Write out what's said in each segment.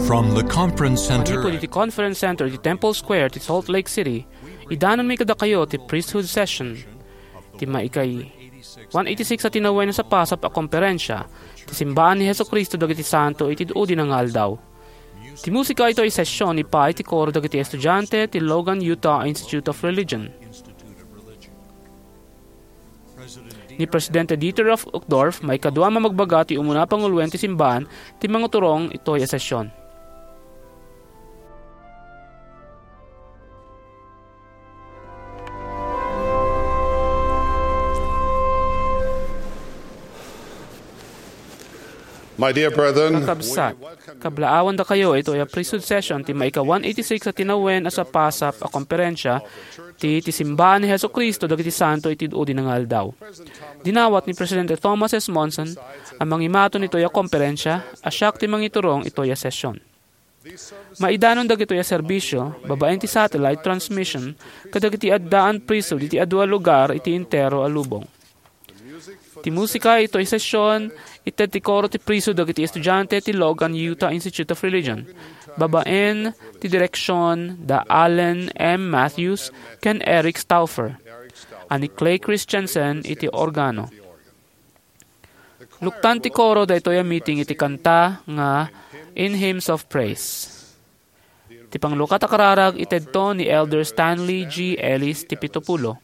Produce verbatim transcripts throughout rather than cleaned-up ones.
From the Conference Center. Manipud iti Conference Center iti Temple Square ti Salt Lake City, idanonmi kadakayo ti priesthood session ti maikay one eighty-six a tinawen a sapasap a komperensia ti Simbaan ni Jesu-Cristo dagiti Santo iti Udi nga Aldaw. Ti musika itoy session ipay ti koro dagiti estudiante ti Logan Utah Institute of Religion. Ni Presidente Dieter F. Uchtdorf, maikadua a mamagbaga ti umuna a panguloen ti simbaan, ti mangiturong itoy a session. My dear brethren, Kakabsat, we welcome you. Kablaawandakayo itoy a priesthood session ti maika one eighty-six a tinawen a sapasap a komperensia ti, ti Simbaan ni Jesu-Cristo dagiti Santo iti Udi nga Aldaw. Dinawat ni Presidente Thomas S. Monson a mangimaton itoy a komperensia a siak ti mangiturong itoy a session. Maidanon dagitoy a serbisio babaen ti satellite transmission kadagiti addaan priesthood iti adu a lugar iti entero a lubong. Ti musika itoy session, ited ti koro ti priesthood dagiti estudiante ti Logan Utah Institute of Religion, babaen ti direksion da Allen M. Matthews ken Eric Stauffer, a ni Clay Christensen iti organo. Luktan ti koro daytoy a meeting iti kanta nga In Hymns of Praise. Ti panglukat a kararag itedto ni Elder Stanley G. Ellis ti pitupulo.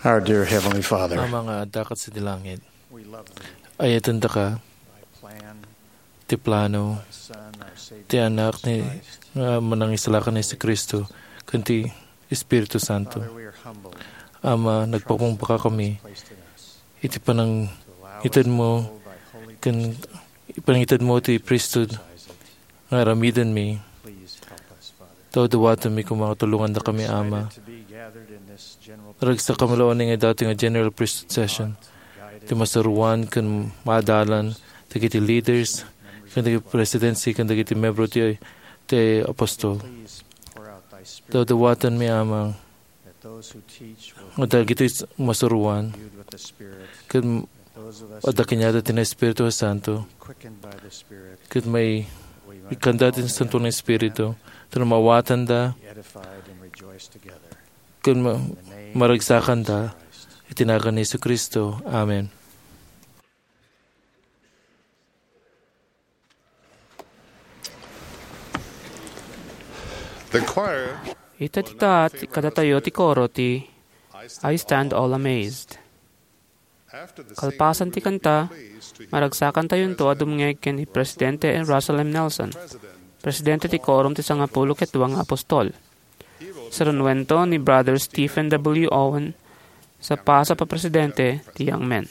Our dear Heavenly Father, Ama nga adda ket sadi langit, we love thee. Ayatendaka. Thy plan, ti plano, thy Son, our Savior, ti Anak ni, Jesus Christ, nga Manangisalakan ni Jesucristo, ken ti Espiritu Santo. Father, we are humbled Ama, nagpakumbaba kami placed in us iti panangitedmo, to allow us to hold thy holy ken priesthood, panangitedmo ti priesthood exercise it. Nga aramidenmi. Please help us, Father. Dawdawatenmi koma nga tulongandakami, Ama. We're excited to be gathered in this general Naragsak kami laeng nga dati nga General Priesthood Session. Ti masuroan ken maadalan dagiti leaders, ken dagiti presidency, ken dagiti membro ti, ti apostol. Please pour out thy Spirit. Dawdawatenmi, Ama, that those who teach will nga dagiti masuroan, viewed with the Spirit, ken adda kaniada ti Espiritu Santo, ken may ikanda ti Santo nga Espiritu, tapno mawatanda, ken ma-, maragsakanda iti nagan ni Jesucristo. Amen. The choir. Ita ti kaat kadatayo ti koro ti I Stand All Amazed. Kalpasan ti kanta, maragsakantayonto a dumngeg ken ni Presidente Russell M. Nelson, Presidente ti Quorum ti Sangapulo ket Dua nga Apostol. Sarunuento ni Brother Stephen W. Owen sa pasap a presidente ti Young Men.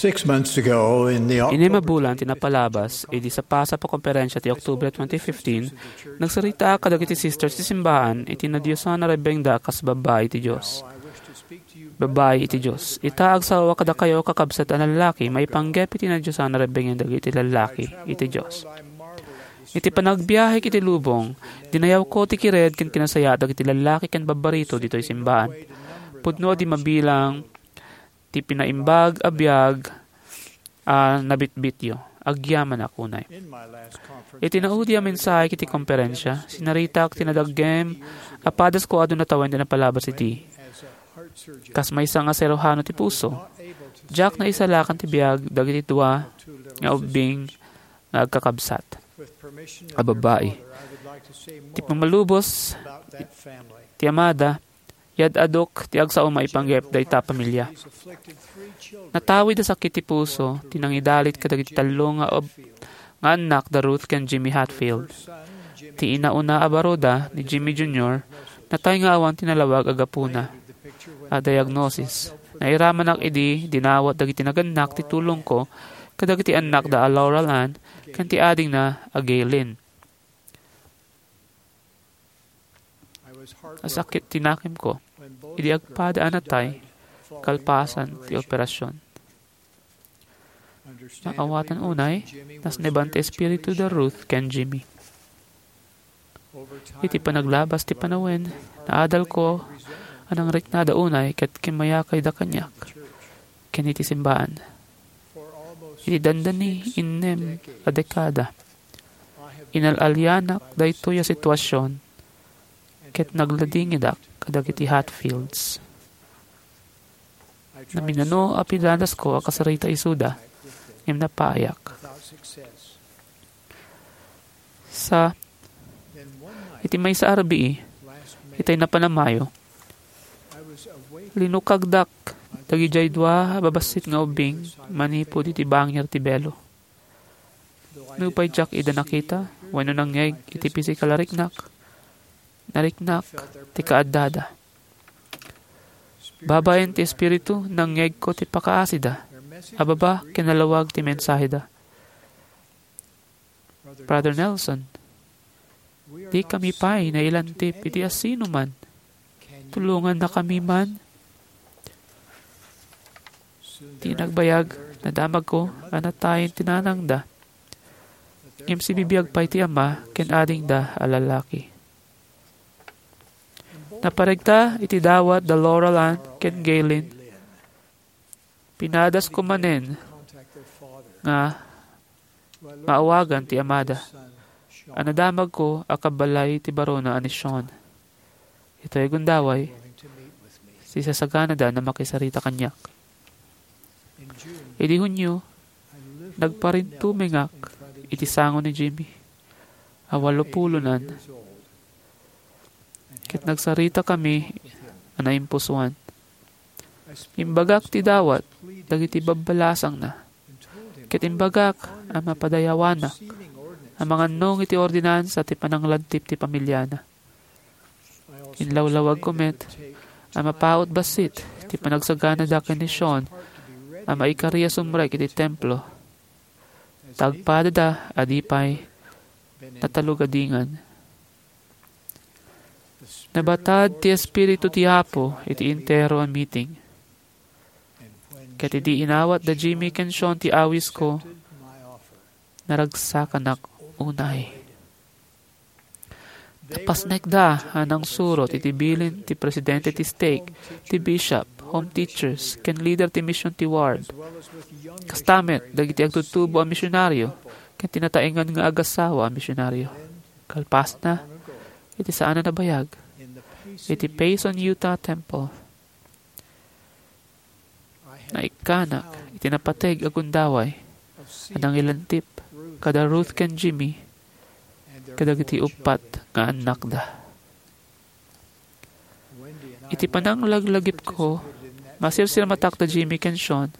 Six months ago, in the Inim a bulan ti napalabas, idi sa pasap a konferensya ti Oktubre twenty fifteen, nagsaritaak kadagiti sisters ti simbahan iti nadiosan a rebbengda kas babbai iti Dios. Babbai iti Dios. Ita, agsao kadakayo, kakabsat a lallaki, maipanggep iti nadiosan a rebbeng dagiti lallaki iti Dios. Iti panagbiahek iti lubong, dinayawko ti kired ken kinasayaat dagiti lallaki ken babbarito ditoy simbahan. Pudno a di mabilang ti pinaimbag a biag a nabitbityo. Agyamanak unay. Iti naudi a mensahe iti konferensya, sinaritak ti nadaggem a padasko a duna tawen ti napalabas iti. Kas maysa nga siruhano ti puso, diak naisalakan ti biag dagiti dua nga ubbing nga agkakabsat a babbai. Ti pamalubos ti amada, yad-adok ti agsao maipanggep dayta a pamilia. Natawid a sakit ti puso ti nangidalit kadagiti tallo nga ob-, nga annak da Ruth ken Jimmy Hatfield. Ti inauna a baroda ni Jimmy Junior natay nga awan ti nalawag a gapuna a diagnosis. Nairamanak idi dinawat dagiti nagannak ti tulongko kadagiti annakda a Laurel Ann ken ti adingna a Gaylene. Nasakit ti nakemko idi agpada a natay kalpasan ti operasion. Naawatan unay, nasneban ti espiritu da Ruth ken Jimmy. Iti panaglabas ti panawen, naadalko a nangriknada unay ket kimmayakayda kaniak ken iti simbahan. Iti dandani innem a dekada, inal-alianak daytoy a situasion ket nagladingidak kadagiti Hatfields. Naminano a pidanasko a kasarita isuda, ngem napaayak. Sa iti maysa a rabii, itay napan a Mayo, linukagdak dagidiay dua a babassit nga ubbing manipud iti bangir ti belo. Nupay diak ida nakita wenno nangngeg iti pisikal a riknak, nariknak ti kaaddada. Babaen ti Espiritu, nangngegko ti pakaasida a baba ken nalawag ti mensaheda. Brother Nelson, dikami pay nailantip iti asinoman. Tulongannakami man. Ti nagbayag, nadamagko a natayen ti nanangda. Ngem sibibiag pay ti ama ken adingda a lalaki. Naparegta iti dawat da Laurel Ann ken Gaylene. Pinadasko manen nga maawagan ti amada a nadamagko a kabbalay ti barona a ni Sean. Itoy gundaway, sisasaganada a makisarita kaniak. Idi Hunio, nagparintumengak iti sango ni Jimmy a walopulonan, ket nagsaritakami a naimpusoan. Imbagak ti dawat dagiti babbalasangna, ket imbagak a mapadayawanak a mangannong iti ordinansa ti pananglantip ti pamiliana. Inlawlawagko met a mapaut bassit ti panagsaganada ken ni Sean a maikari a sumrek iti templo. Tagpadada a di pay natalugadingan. Nabatad ti Espiritu ti Apo iti entero a meeting. Ket idi inawat da Jimmy ken Sean ti awisko, naragsakanak unay. Napasnekda a nangsurot iti bilin ti presidente ti stake, ti bishop, home teachers, ken leader ti mission ti ward. Kasta met dagiti agtutubo a misionario ken ti nataengan nga agasawa a misionario. Kalpasna, iti saan a nabayag, iti Payson, Utah Temple, naikkanak iti napateg a gundaway a nangilantip kada Ruth ken Jimmy kadagiti uppat nga annakda. Iti pananglaglagipko, masirsirmatak da Jimmy ken Sean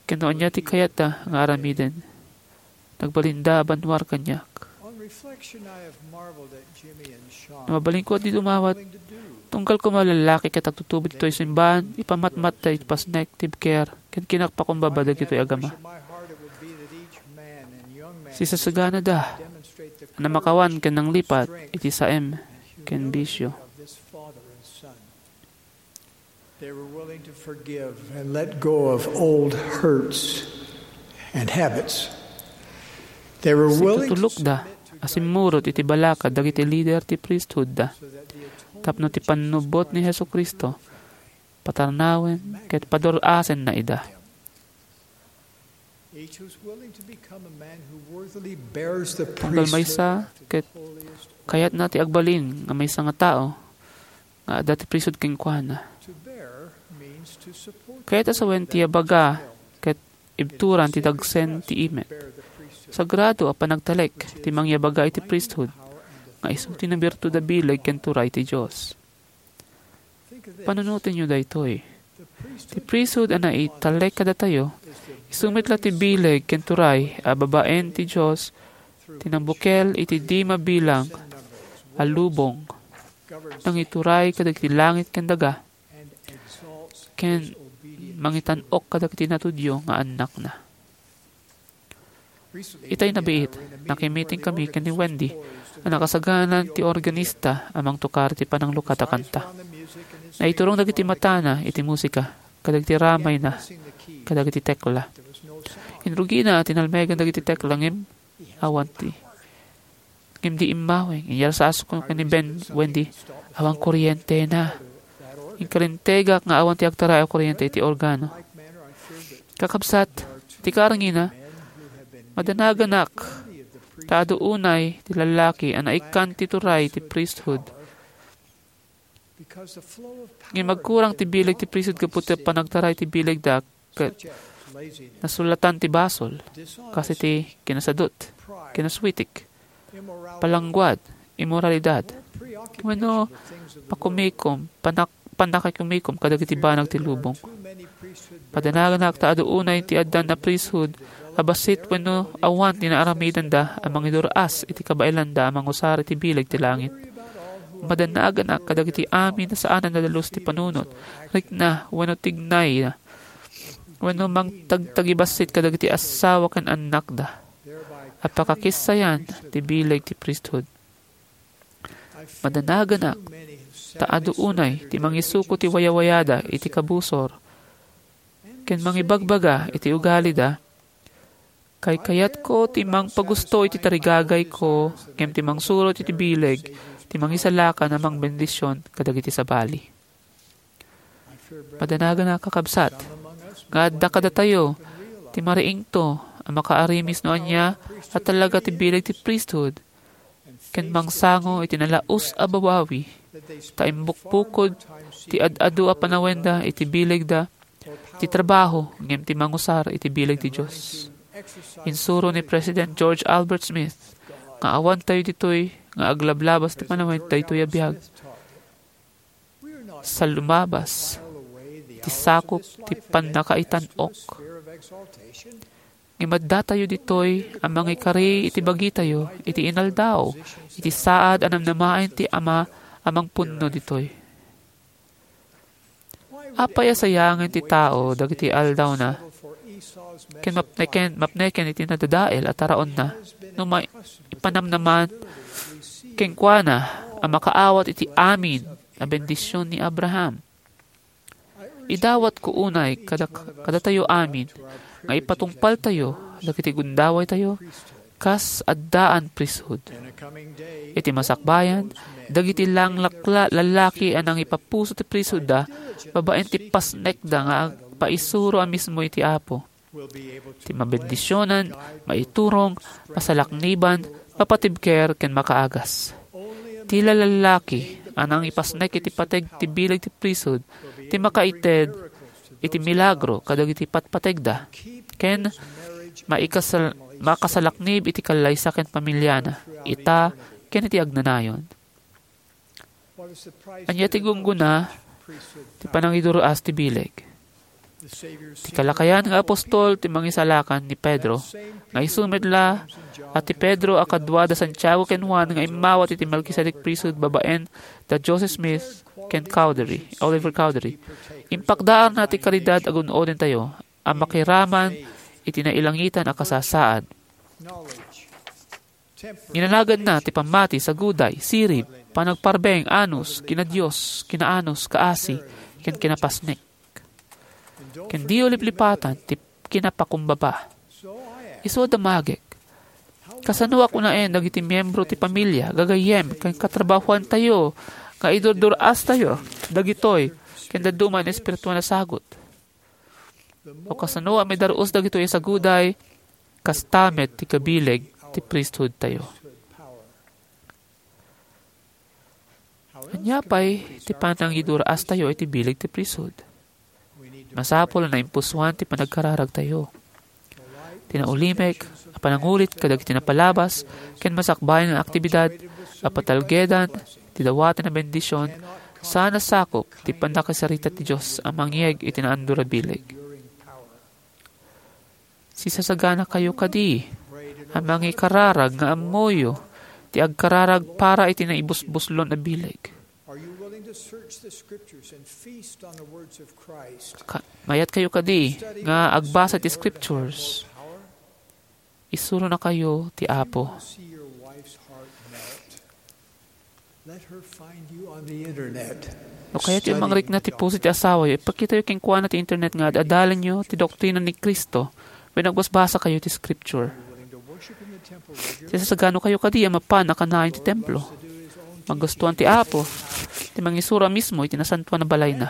ken no ania ti kayatda nga aramiden. Nagbalinda a bannuar kaniak. No mabalinko a di dumawat, tunggal koma a lallaki ket agtutubo ditoy simbahan, ipamatmatta iti pasnek, tibker, ken kinakpakumbaba dagitoy agama. Sisasaganada a namakawan ken nanglipat iti saem ken bisio. They were willing to forgive and let go of old hurts and habits. They were willing to Situtulokda a simmurot iti balakad dagiti lider ti priesthoodda tapno ti pannubbot ni Jesu-Cristo patarnawen ket padur-asenna ida. Each was willing to become a man who worthily bears the Tunggal maysa ket kayatna ti agbalin nga maysa nga tao nga adda ti priesthood kenkuana. Kayat a sawen ti yabaga ket ibturan ti dagsen ti imet. Sagrado a panagtalek ti mangyabaga iti priesthood nga isu ti nabirtud a bileg ken turay ti Dios. Panunotenyo daytoy. Ti priesthood a naitalek kadatayo, isu met la ti bileg ken turay a babaen ti Dios ti nangbukel iti di mabilang a lubong, nangituray kadagiti langit ken daga, ken mangitan-ok kadagiti natudyo nga annakna. Itay nabiit, nakimitingkami ken ni Wendy a nakasaganan ti organista a mangtukar ti pananglukat a kanta. Naiturong dagiti matana iti musika, kadagiti ramayna, kadagiti tekla. Inrugina a tinalmegan dagiti tekla ngem awan ti, ngem di immaweng. Inyarsasko ken ni Ben, Wendy, awan kuryentena. Inkarintegak nga awan ti agtaray a kuryente iti organo. Kakabsat, ti karngina, madanaganak ta adu unay ti lallaki a naikkan ti turay ti priesthood. Ngem agkurang ti bileg ti priesthood gapu ti panagtaray ti bilegda ket nasulatan ti basol, kas iti kinasadut, kinaswitik, palangguad, imoralidad, wenno pakumikom, panak-, pannakakumikom kadagiti banag ti lubong. Padanaganak ta adu unay ti addan a priesthood a bassit wenno awan ti naaramidenda a mangidur-as iti kabaelanda a mangusar iti bileg ti langit. Madanaganak kadagiti amin a saanen a dalus ti panunot, rikna, wenno tignayna, wenno mangtagtagibassit kadagiti assawa ken annakda a pakakissayan ti bileg ti priesthood. Madanaganak ta adu unay ti mangisuko ti wayawayada iti kabusor ken mangibagbaga iti ugalida, "Kaykayatko ti mangpagusto iti tarigagayko ngem ti mangsurot iti bileg ti mangisalakan a mangbendision kadagiti sabali." Madanaganak, kakabsat, nga adda kadatayo ti mariingto a makaarimis no ania a talaga ti bileg ti priesthood ken mangsango iti nalaus a babawi, ta imbukbukod ti ad-adu a panawenda iti bilegda ti trabaho ngem ti mangusar iti bileg ti Dios. Insuro ni President George Albert Smith nga awan tayo ditoy nga aglablabas ti panawen daytoy a biag. Sa lumabas ti sakup ti pannakaitan-ok. Ngem addatayo ditoy a mangikari iti bagitayo iti inaldaw, iti saad a namnamaen ti Ama a mangpunno ditoy. Apay a sayangen ti tao dagiti aldawna ken mapneken, mapneken iti nadadael a taraonna no maipanamnaman kenkuana a makaawat iti amin a bendision ni Abraham? Idawatko unay kada-, kadatayo amin nga ipatungpaltayo dagiti gundawaytayo kas addaan priesthood. Iti masakbayan, dagiti langlakla-, lallaki a nangipapuso ti priesthoodda babaen ti pasnekda nga agpaisuro a mismo iti Apo. Ti mabendisionan, maiturong, masalakniban, mapatibker, ken makaagas. Ti lalallaki a nangipasnek iti pateg ti bileg ti priesthood ti makaited iti milagro kadagiti patpategda, ken maikasal-, makasalaknib iti kallaysa ken pamiliana, ita, ken iti agnanayon. Ania ti gunggona ti panangidur-as ti bileg? Ti kalakayan nga apostol ti mangisalakan ni Pedro, nga isu met la a ti Pedro a kadua da Santiago ken Juan nga immawat iti Melkisedek priesthood babaen da Joseph Smith ken Cowdery, Oliver Cowdery. Impakdaarna ti kalidad a gun-odentayo a makiraman iti nailangitan a kasasaad. Ginanaganna ti pammati, saguday, sirib, panagparbeng, anus, kinadios, kinaanus, kaasi, ken kinapasnek. Ken diyo liplipatan ti kinapakumbaba. Isu a damagek. Kasano a kunaen dagiti miyembro ti pamilia, gagayyem, ken katrabahoantayo nga idurdur-astayo dagitoy ken dadduma nga espirituan a sagut? O kasano a maidar-os dagitoy a saguday, kasta met ti kabileg ti priesthoodtayo? Ania pay ti panangidur-astayo iti bileg ti priesthood? Masapul a naimpusoan ti panagkararagtayo. Ti naulimek a panangulit kadagiti napalabas ken masakbayan nga aktibidad a patalgedan ti dawaten a bendision saan a sakup ti pannakasarita ti Dios a mangyeg iti naandor a bileg. Sisasaganakayo kadi a mangikararag nga ammoyo ti agkararag para iti naibusbuslon a bileg. Are you willing to search the scriptures and feast on the words of Christ? Ka-, mayat kayo kadi nga agbasa ti scriptures? Isuronakayo ti Apo. See your wife's heart melt. Let her find you on the internet. No kayatyo a mangrikna ti puso ti asawayo, ipakitayo kenkuana ti internet nga ad-adalanyo ti doktrina ni Cristo wenno agbasbasakayo ti scripture. Sisasaganokayo kadi a mapan a kanayon ti templo. Magustuan ti Apo ti mangisuro a mismo iti nasantoan a balayna.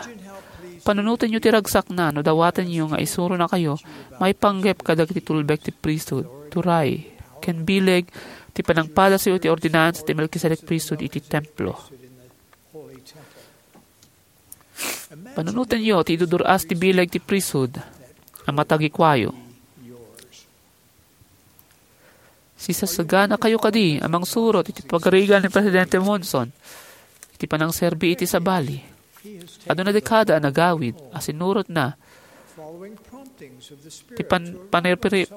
Panunotenyo ti ragsakna no dawatenyo nga isuronakayo maipanggep kadagiti tulbek ti priesthood, turay, ken bileg ti panangpadasyo iti ordinansa ti Melkisedek priesthood iti templo. Panunotenyo ti idudur-as ti bileg ti priesthood a matagikuayo. Sisasaganakayo kadi a mangsurot iti pagarigan ni Presidente Monson iti panangserbi iti sabali. Aduna dekada a nagawid a sinurotna ti pan-, panirpiri-,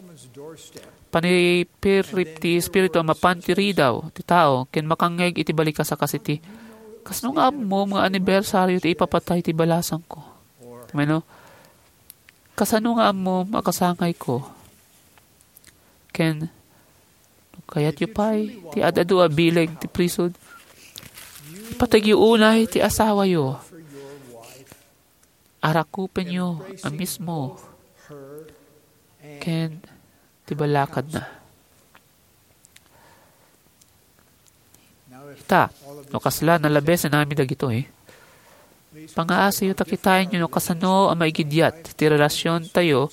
panipirip ti Espiritu a mapan ti ridaw ti tao ken makangngeg iti balikas a kasiti, "Kasano nga ammom nga anibersaryo ti ipapatay ti balasangko?" Wenno, "Kasano nga ammom a kasangayko?" Ken, no kayatyo pay ti ad-adu a bileg ti priesthood, ipategyo unay ti asawayo. Arakupenyo a mismo ken ti balakadna. Ita, no kasla, nalabesan amin dagitoy. Pangaasiyo ta kitaenyo no kasano a maigidiat ti relasiontayo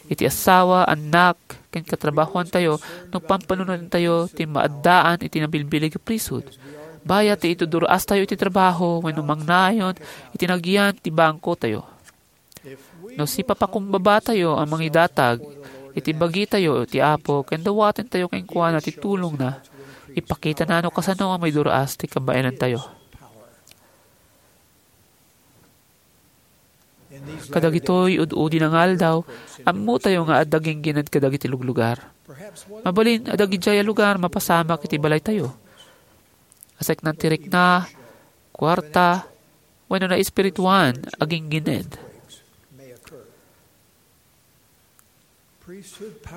iti asawa, annak, ken katrabahoantayo no pampanunotentayo ti maaddaan iti nabilbileg a priesthood. Bayat ti itudur-astayo iti trabaho wenno mangnayon iti nagyan ti bangkotayo. No sipapakumbabatayo a mangidatag iti bagitayo ti Apo ken dawatentayo kenkuana ti tulongna, ipakitana no kasano a maidur-as ti kabaelantayo. Kadagitoy ud-udi nga aldaw, ammotayo nga adda ginggined kadagiti luglugar. Mabalin a dagidiay a lugar mapasamak iti balaytayo. Aseknan ti rikna, kuarta, wenno naespirituan a ginggined.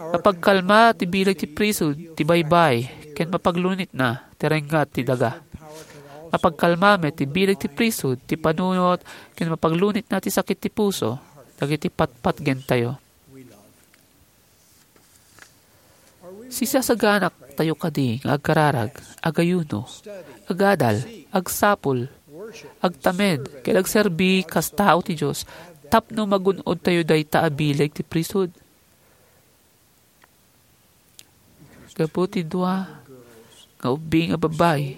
Mapagkalma ti bileg ti priesthood ti baybay ken mapaglunitna ti rengngat ti daga. Mapagkalma met ti bileg ti priesthood ti panunot ken mapaglunitna ti sakit ti puso dagiti patpatgentayo. Sisasaganak tayo kadi nga agkararag, agayuno, agadal, agsapul, agtamed, ken agserbi kas tao ti Dios tapno magun-od tayo dayta a bileg ti priesthood. Gapu ti dua nga ubbing a babbai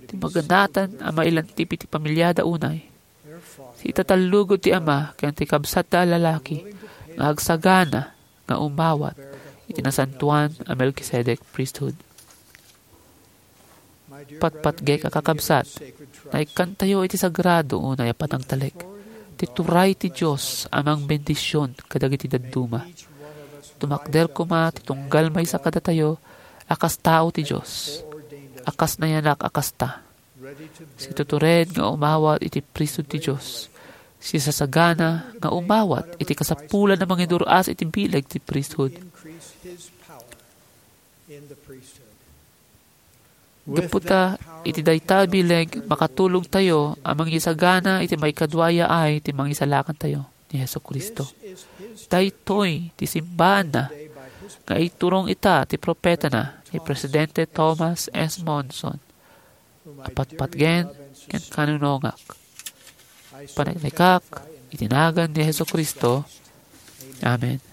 ti maganatan a mailantip iti pamiliada unay, ti itatallugod ti ama ken ti kabsatda a lalaki nga agsagana nga umawat iti nasantoan a Melkisedek priesthood. Patpatgek a kakabsat, naikkantayo iti sagrado unay a panangtalek. Ti Ituray ti Dios a mangbendision kadagiti dadduma. Tumakder koma ti tunggal maysa kadatayo a kas tao ti Dios, a kas nayanak a kasta. Situtured nga umawat iti priesthood ti Dios. Sisasagana nga umawat iti kasapulan a mangidur-as iti bileg ti priesthood. Gapu ta iti dayta a bileg, makatulongtayo a mangisagana iti maikadua a yaay ti Mangisalakantayo, ni Jesu-Cristo. Daytoy ti simbaanna nga iturong ita ti propetana, ni Presidente Thomas S. Monson, a patpatgen ken kanunongak. Panaglikak iti nagan ni Jesu-Cristo. Amen.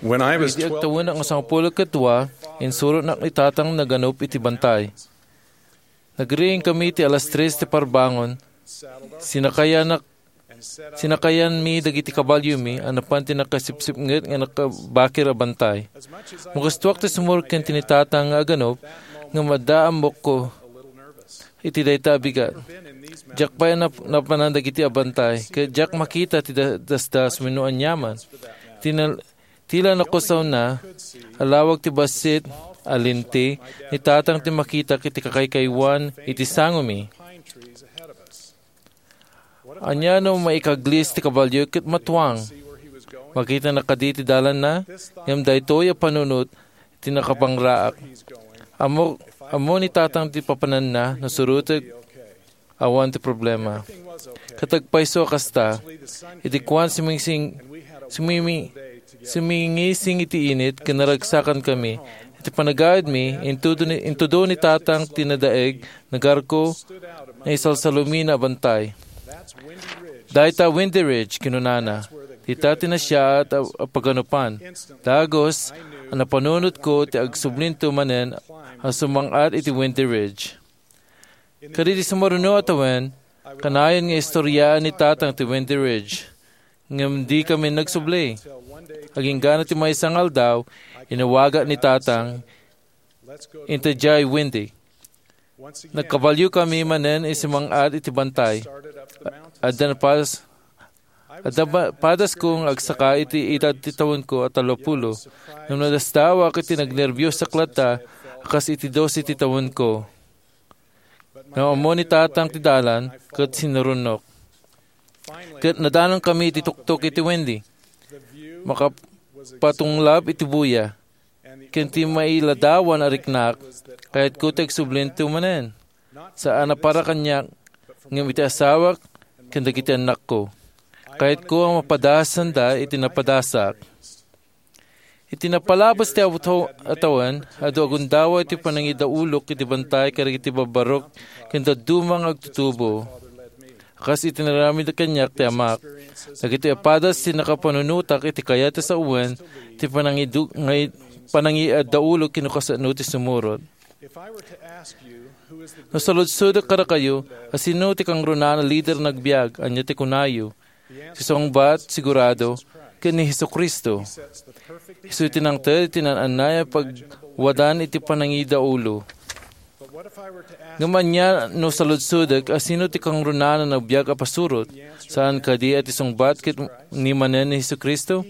When I was Idi agtawenak nga sangapulo ket dua, insurotnak ni Tatang nga aganup iti bantay. Nagriing kami ti alas tres ti parbangon. Sinakayanak, sinakayanmi dagiti kabaliomi a napan ti nakasipsipnget nga nakabakir a bantay. Makastuak ti sumurot ken ti ni Tatang nga aganup, ngem adda ammokko iti dayta a bigat. Diak pay nap-, napanan dagiti a bantay, ket diak makita ti da-, dasdas wenno aniaman. Ti na-, ti la nakusawna, alawag ti bassit a lente ni Tatang ti makitak iti kakaykaywan iti sangomi. Ania no maikaglis ti kabalio ket matuang? Makitanak kadi ti dalanna? Ngem daytoy a panunot ti nakapangraak. Ammo, ammo ni Tatang ti papananna no surotek, awan ti problema. Ket agpayso a kasta, idi kuan sumingsing-, sumimi-, sumingising iti init ken naragsakan kami. Iti panagayadmi, intudo ni, intudo ni Tatang ti nadaeg, nagarko, naisalsalumina a bantay. Dayta Windy Ridge, kinunana. Dita ti nasiaat a, a paganupan. Dagus, a napanunotko ti agsublinto manen a sumang-at iti Windy Ridge. Kadagiti sumaruno a tawen, kanayon nga istoriaan ni Tatang ti Windy Ridge. Ngem dikami nagsubli. Aginggana ti maysa nga aldaw, inawagak ni Tatang, inta diay Windy. Nagkabaliokami manen iti sumang-at iti bantay. Adda napas-, adda ba-, padasko nga agsaka iti edad ti tawenko a tallopulo. Ngem nadasdawak iti nagnerbiosak latta a kas iti dose ti tawenko. Ngem ammo ni Tatang ti dalan ket sinurotnok. Ket nadalankami iti tuktok iti Windy. Makapatunglab iti buya. Ken ti mailadawan a riknak, kayatko ti agsublinto manen. Saan a para kaniak, ngem iti asawak ken dagiti annakko. Kayatko a mapadasanda iti napadasak. Iti napalabas ti awto-, a tawen, adu a gundaway ti panangidaulok iti bantay kadagiti babbarok ken dadduma nga agtutubo. Kas iti naramid kaniak ti Amak, dagitoy a padas ti nakapanunotak iti kayat a sawen ti panangidu-, ngay-, panangidaulok ken no kasano ti sumurot. No saludsodek kadakayo, a sino ti kangrunaan a lider nga agbiag, ania ti kunayo? Ti sungbat, sigurado, ken ni Jesu-Cristo. Isu ti nangted iti naan-annay a pagwadan iti panangidaulo. Ngem ania no saludsodek a sino ti kangrunaan a nagbiag a pasurot? Saan kadi a ti sungbat ket ni manen ni Jesu-Cristo?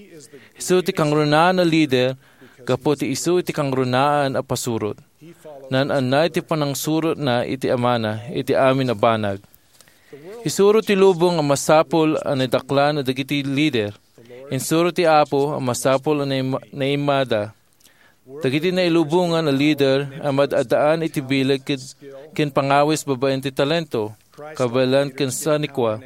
Isu ti kangrunaan a lider gapu ti isu ti kangrunaan a pasurot. Naan-annay ti panangsurotna iti Amana iti amin a banag. Isuro ti lubong a masapul a nadaklan dagiti lider. Insuro ti Apo a masapul a naim-, naimada. Dagiti nailubongan a lider a mad-addaan iti bileg ken, ken pangawis babaen ti talento, kabaelan ken sanikua.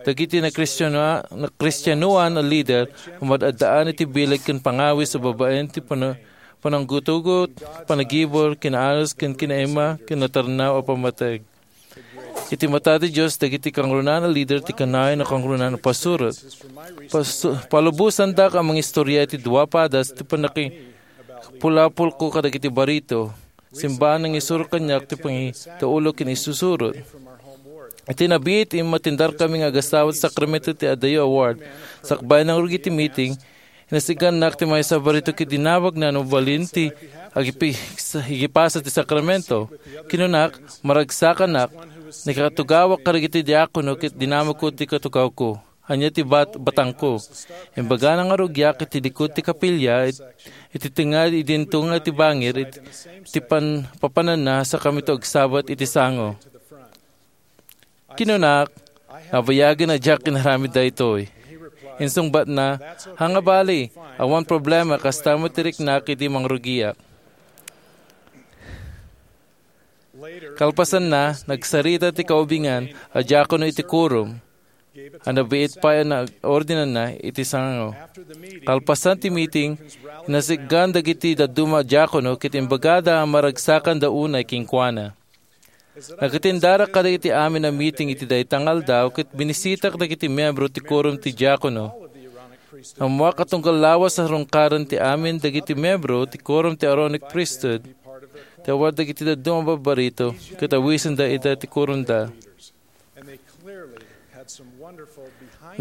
Dagiti nakristianoa-, nakristianoan a lider a mad-addaan iti bileg ken pangawis a babaen ti pana-, pananggutugot, panagibur, kinaanus ken kinaima, ken natarnaw a pammateg. Iti mata ti Dios, dagiti kangrunaan a lider ti kanayon a kangrunaan a pasurot. Pas-, palubosandak a mangistorya iti dua padas ti pannakipulapolko kadagiti barito. Simbaan nga nangisuro kaniak ti pangidaulo ken isusurot. Iti nabiit, immatendarkami nga agasawa ti sakramento ti adayo a ward. Sakbay nangrugi ti meeting, Inasik-annak ti maysa a barito ket dinamagna no mabalin ti agipi-, igipasa ti sakramento. Kinunak, maragsakanak, nakatugawak kadagiti diakono ket dinamagko ti katugawko. Ania ti bat-, batangko? Imbagana nga rugiak iti likod ti kapilya, it-, iti tengnga idinto nga ti bangir, it-, iti pan-, papananna, saka kami agsabat iti sango. Kinunak, "Nabayagen a diak inaramid daytoy." Insungbatna, "Ha nga bali, awan problema, kasta met ti riknak idi mangrugiak." Kalpasanna, nagsarita ti kaubingan a diakono iti quorum a nabiit pay a naordinanna iti sango. Kalpasan ti meeting, inasik-an dagiti dadduma a diakono ket imbagada a maragsakanda unay kenkuana. Nagkatindara kadagiti amin a meeting iti dayta nga aldaw ket binisitak dagiti miyembro ti quorum ti diakono. Ammoak a tunggal lawas a sarungkaran ti amin dagiti miyembro ti quorum ti Aaronic Priesthood, ti awan dagiti dadduma a barbarito, ket awisenda ida ti quorumda.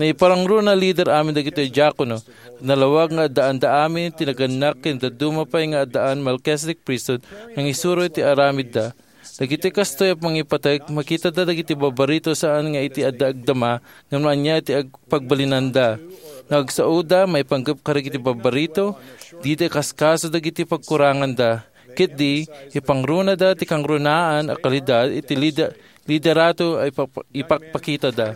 Naiparangruna a lider amin dagiti diakono. Nalawag nga addaanda amin ti nagannak ken dadduma pay nga addaan Melchizedek Priesthood nga nangisuro iti aramidda. Dagiti kastoy a mangipateg, makitada dagiti barbarito saan nga iti adda agdama ngem ania ti ag-, pagbalinanda. No agsaoda, maipanggep kadagiti barbarito, dida ikaskaso dagiti pagkuranganda. Ketdi, ipangrunada ti kangrunaan a kalidad iti lida-, liderato a ipa-, ipakpakitada.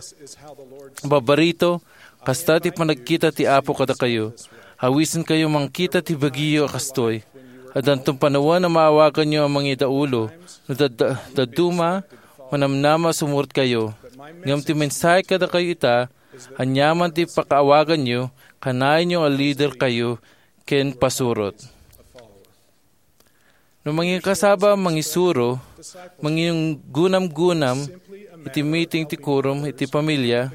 Barbarito, kasta ti panagkita ti Apo kadakayo. Awisenkayo mangkita ti bagiyo a kastoy. Addanton panawen a maawaganyo a mangidaulo. No dad-, dadduma, manamnama a sumurotkayo. Ngem ti mensahe kadakayo ita, aniaman ti pakaawaganyo, kanaenyo a liderkayo ken pasurot. No mangikasaba a mangisuro, mangigunamgunam iti meeting ti quorum iti pamilya,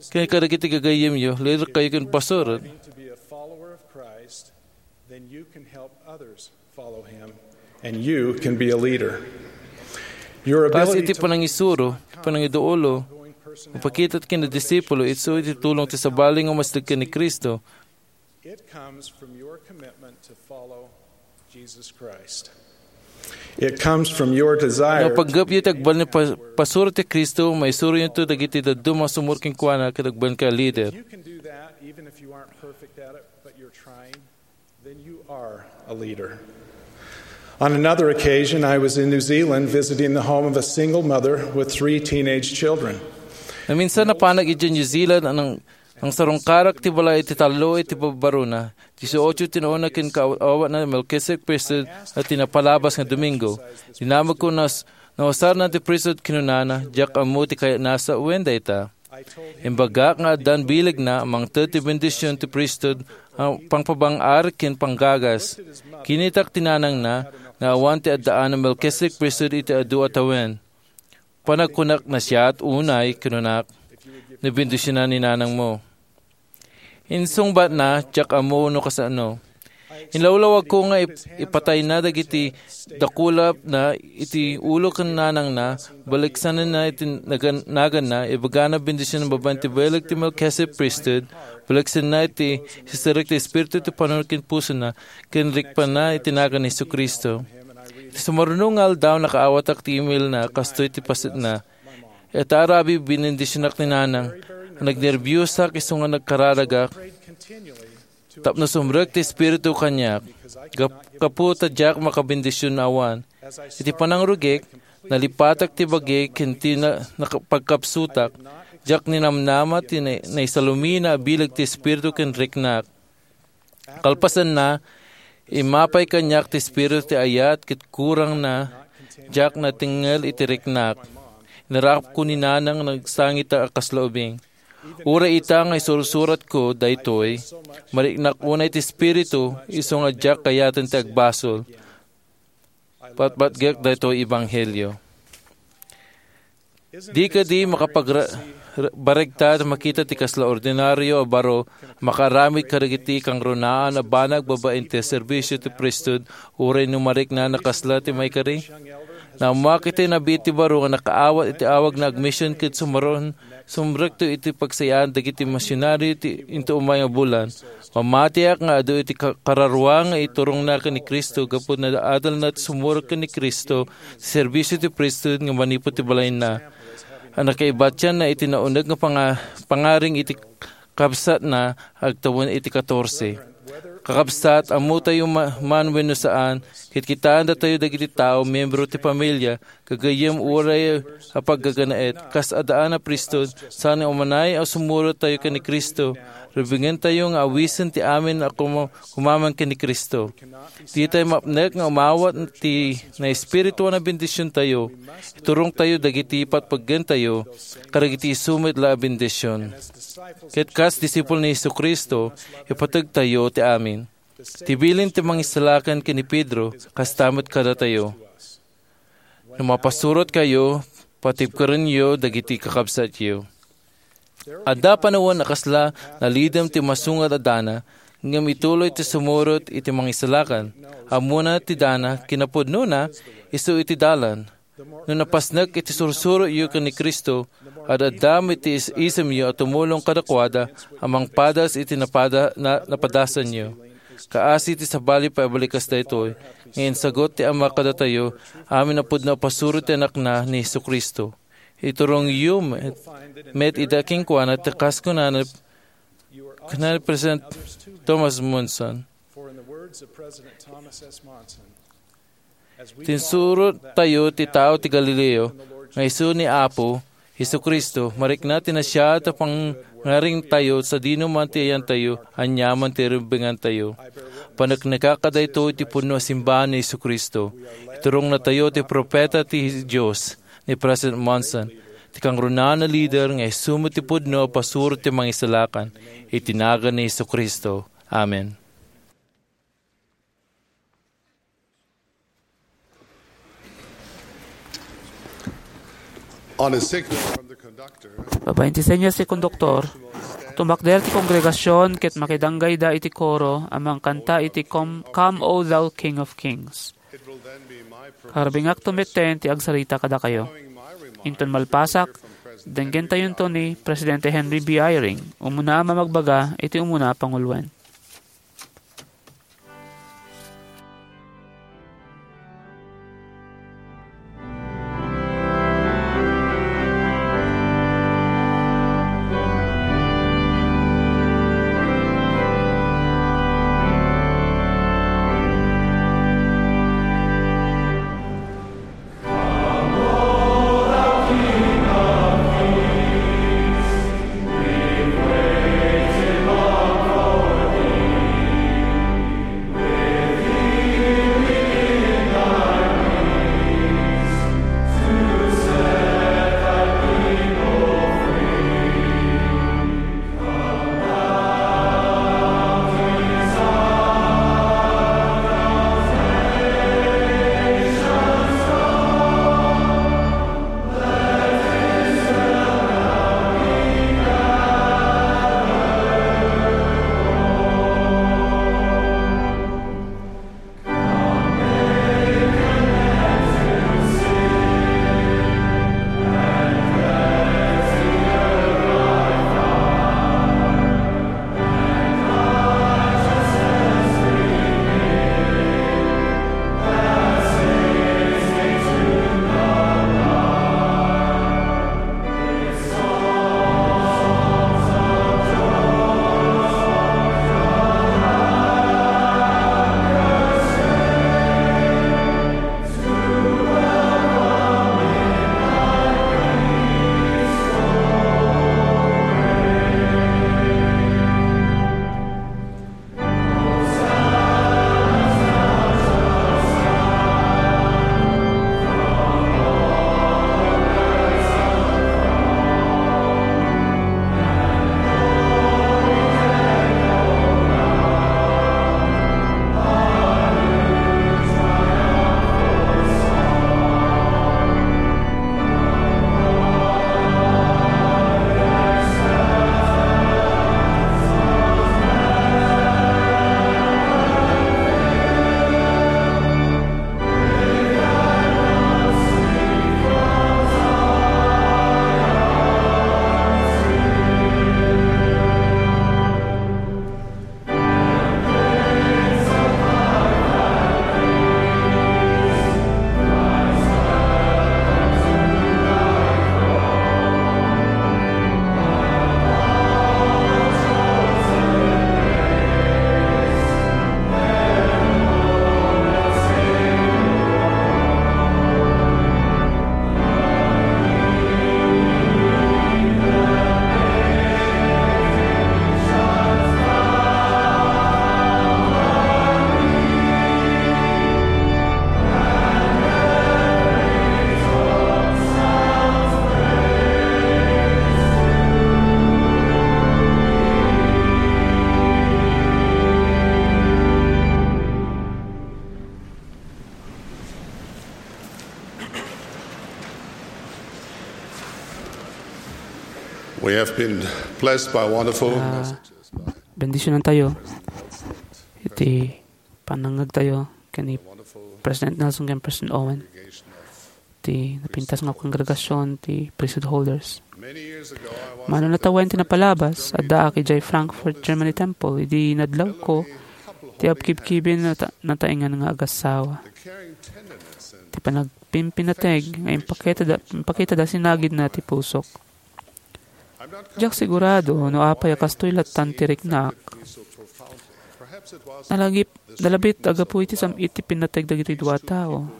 ken kadagiti gagayyemyo, liderkayo ken pasurot. And you can be a leader. Your Kas ability iti to panangisuro, panangiduulo, mapakita ti kinadisipulo, isu iti tulong ti sabali nga umasdeg ken ni Cristo. It comes from your commitment to follow Jesus Christ. It comes from your desire. No pagngepyo ti agbalin a pa-, pasuro ti Cristo, maisuroyonto dagiti dadduma a sumurot kenkuana ket agbalin ka a lider. If you can do that, even if you aren't perfect at it, but you're trying, then you are a leader. On another occasion, I was in New Zealand visiting the home of a single mother with three teenage children. Naminsan napanak idiay New Zealand ang, ang sarungkarak ti balay iti tallo iti babbarona. Dieciocho ti nauna ken kaaw-awatna Melchizedek Priesthood a ti napalabas nga Domingo. Dinamagko nas-, nausarna ti priesthood, kinunana, "Diak ammo ti kayatna a sawen dayta." Imbagak nga addan bilegna a mangted ti bendision ti priesthood a pangpabang-ar ken panggagas. Kinitak ti nanangna nga awan ti addaan a Melchizedek Priesthood iti adu a tawen. Panagkunak, "Nasayaat unay," kinunak, "no bendisionan ni nanangmo." Insungbatna, "Diak ammo no kasano." Inlawlawagko nga ip-, ipatayna dagiti dakulapna iti ulo ken nanangna, baliksanenna iti nagan-, naganna, ibagana bendision babaen ti bileg ti Melchizedek Priesthood, baliksenna iti sisirek ti Espiritu ti panunot ken pusona, ken rikpanna iti nagan ni Jesu-Cristo. Iti sumaruno nga aldaw, nakaawatak ti emailna, kastoy ti pasetna. Ita a rabii, binendisionak ni Nanang. Nagnerbiosak isu nga nagkararagak tapno sumrek ti Espiritu kaniak. Gap-, gapu ta diak makabendision no awan. Iti panangrugik, nalipatak ti bagi ken ti na-, naka-, pagkapsutak. Diak ninamnama ti na-, naisalumina a bileg ti Espiritu ken riknak. Kalpasanna, immapay kaniak ti espiritu ti ayat ket kurangna, diak natengngel iti riknak. Inarapko ni Nanang nagsangita a kasla ubing. Uray ita nga isursuratko daytoy, mariknak unay ti espiritu, isu nga diak kayaten ti agbasol. Patpatgek daytoy ebanghelio. Di kadi makapagra-, ra-, baregta ta makita ti kasla ordinario a baro a makaaramid kadagiti kangrunaan a banag babaen ti serbisio ti priesthood uray no mariknana kasla ti maikari? Naammoak iti nabiit ti baro nga nakaawat iti awagna a mision ket sumaruno Sumrekto iti pagsayaan dagiti misionaryo ti into umay nga bulan. Mamatiak nga adu iti ka-, kararua nga iturongna ken ni Cristo gapu naadalna ti sumurot ken ni Cristo ti serbisio ti priesthood nga manipud ti balayna. A nakaibatianna iti nauneg nga panga-, pangaring iti kabsatna agtawen iti katorse. Kakabsat, ammotayo ma-, man wenno saan, ket kitaendatayo dagiti tao, miyembro ti pamilia, gagayyem uray a paggaganaet, kas addaan a priesthood, saan nga umanay a sumurot tayo ken ni Cristo, rubingentayo nga awisen ti amin a kuma-, kumaman ken ni Cristo. Ditayo mapnek nga umawat ti naespirituan a bendisiontayo. Iturongtayo dagiti patpeggentayo kadagiti isu met la a bendision. Ket kas disipulo ni Jesu-Cristo, ipategtayo ti amin. Ti bilin ti Mangisalakan ken ni Pedro, kasta met kadatayo. No mapasurotkayo, patibkerenyo dagiti kakabsatyo. Adda panawen a kasla nalidem ti masungad a dana, ngem ituloy ti sumurot iti Mangisalakan. Ammona ti dana, kinapudnona, isu iti dalan. No napasnek iti sursurotyo ken ni Cristo, ad-adda met ti is-, isemyo a tumulong kadakuada a mangpadas iti napada-, na-, napadasanyo. Kaasi ti sabali, paibalikkas daytoy, nga insagut ti Ama kadatayo, amin a pudno a pasurot ti Anakna ni Jesu-Cristo. Iturongyo met, met ida kenkuana ti kas kunana, kunana ni President Thomas Monson. For in the words of President Thomas S. Monson, as we Tinsurot tayo ti tao ti Galileo nga isu ni Apo Jesu-Cristo, marikna ti nasayaat a pangngaringtayo sadino man ti ayantayo, aniaman ti rubingantayo. Paneknekak a daytoy ti pudno a simbahan ni Jesu-Cristo. Iturongnatayo ti propeta ti Dios, ni President Monson, ti kangrunaan a lider nga isu met ti pudno a pasurot ti Mangisalakan, iti nagan ni Jesu-Cristo. Amen. On a signal from the conductor, Babaen ti senyas ti konduktor, tumakder ti kongregasion ket makidanggayda iti koro a mangkanta iti Com-, Come, O Thou King of Kings. Karubingakto metten ti agsarita kadakayo. Inton malpasak, denggentayonto ni Presidente Henry B. Eyring, umuna a mamagbaga iti umuna a panguloen. I've been blessed by wonderful Ah, bendisyonantayo iti panangngegtayo ken ni President Nelson ken President Owen, ti napintas nga kongregasyon ti priesthood holders. Mano natawen ti napalabas, addaak idiay Frankfurt Germany Temple idi nadlawko ti abkibkibin nata-, nataengan nga agassawa. Ti panagpimpinateg nga impakitada, impakitada sinagidna ti pusok. Diak sigurado no apay a kastoy lattan ti riknak. Nalagip, nalabit a gapu iti sam-it ti pinnateg dagitoy dua a tao.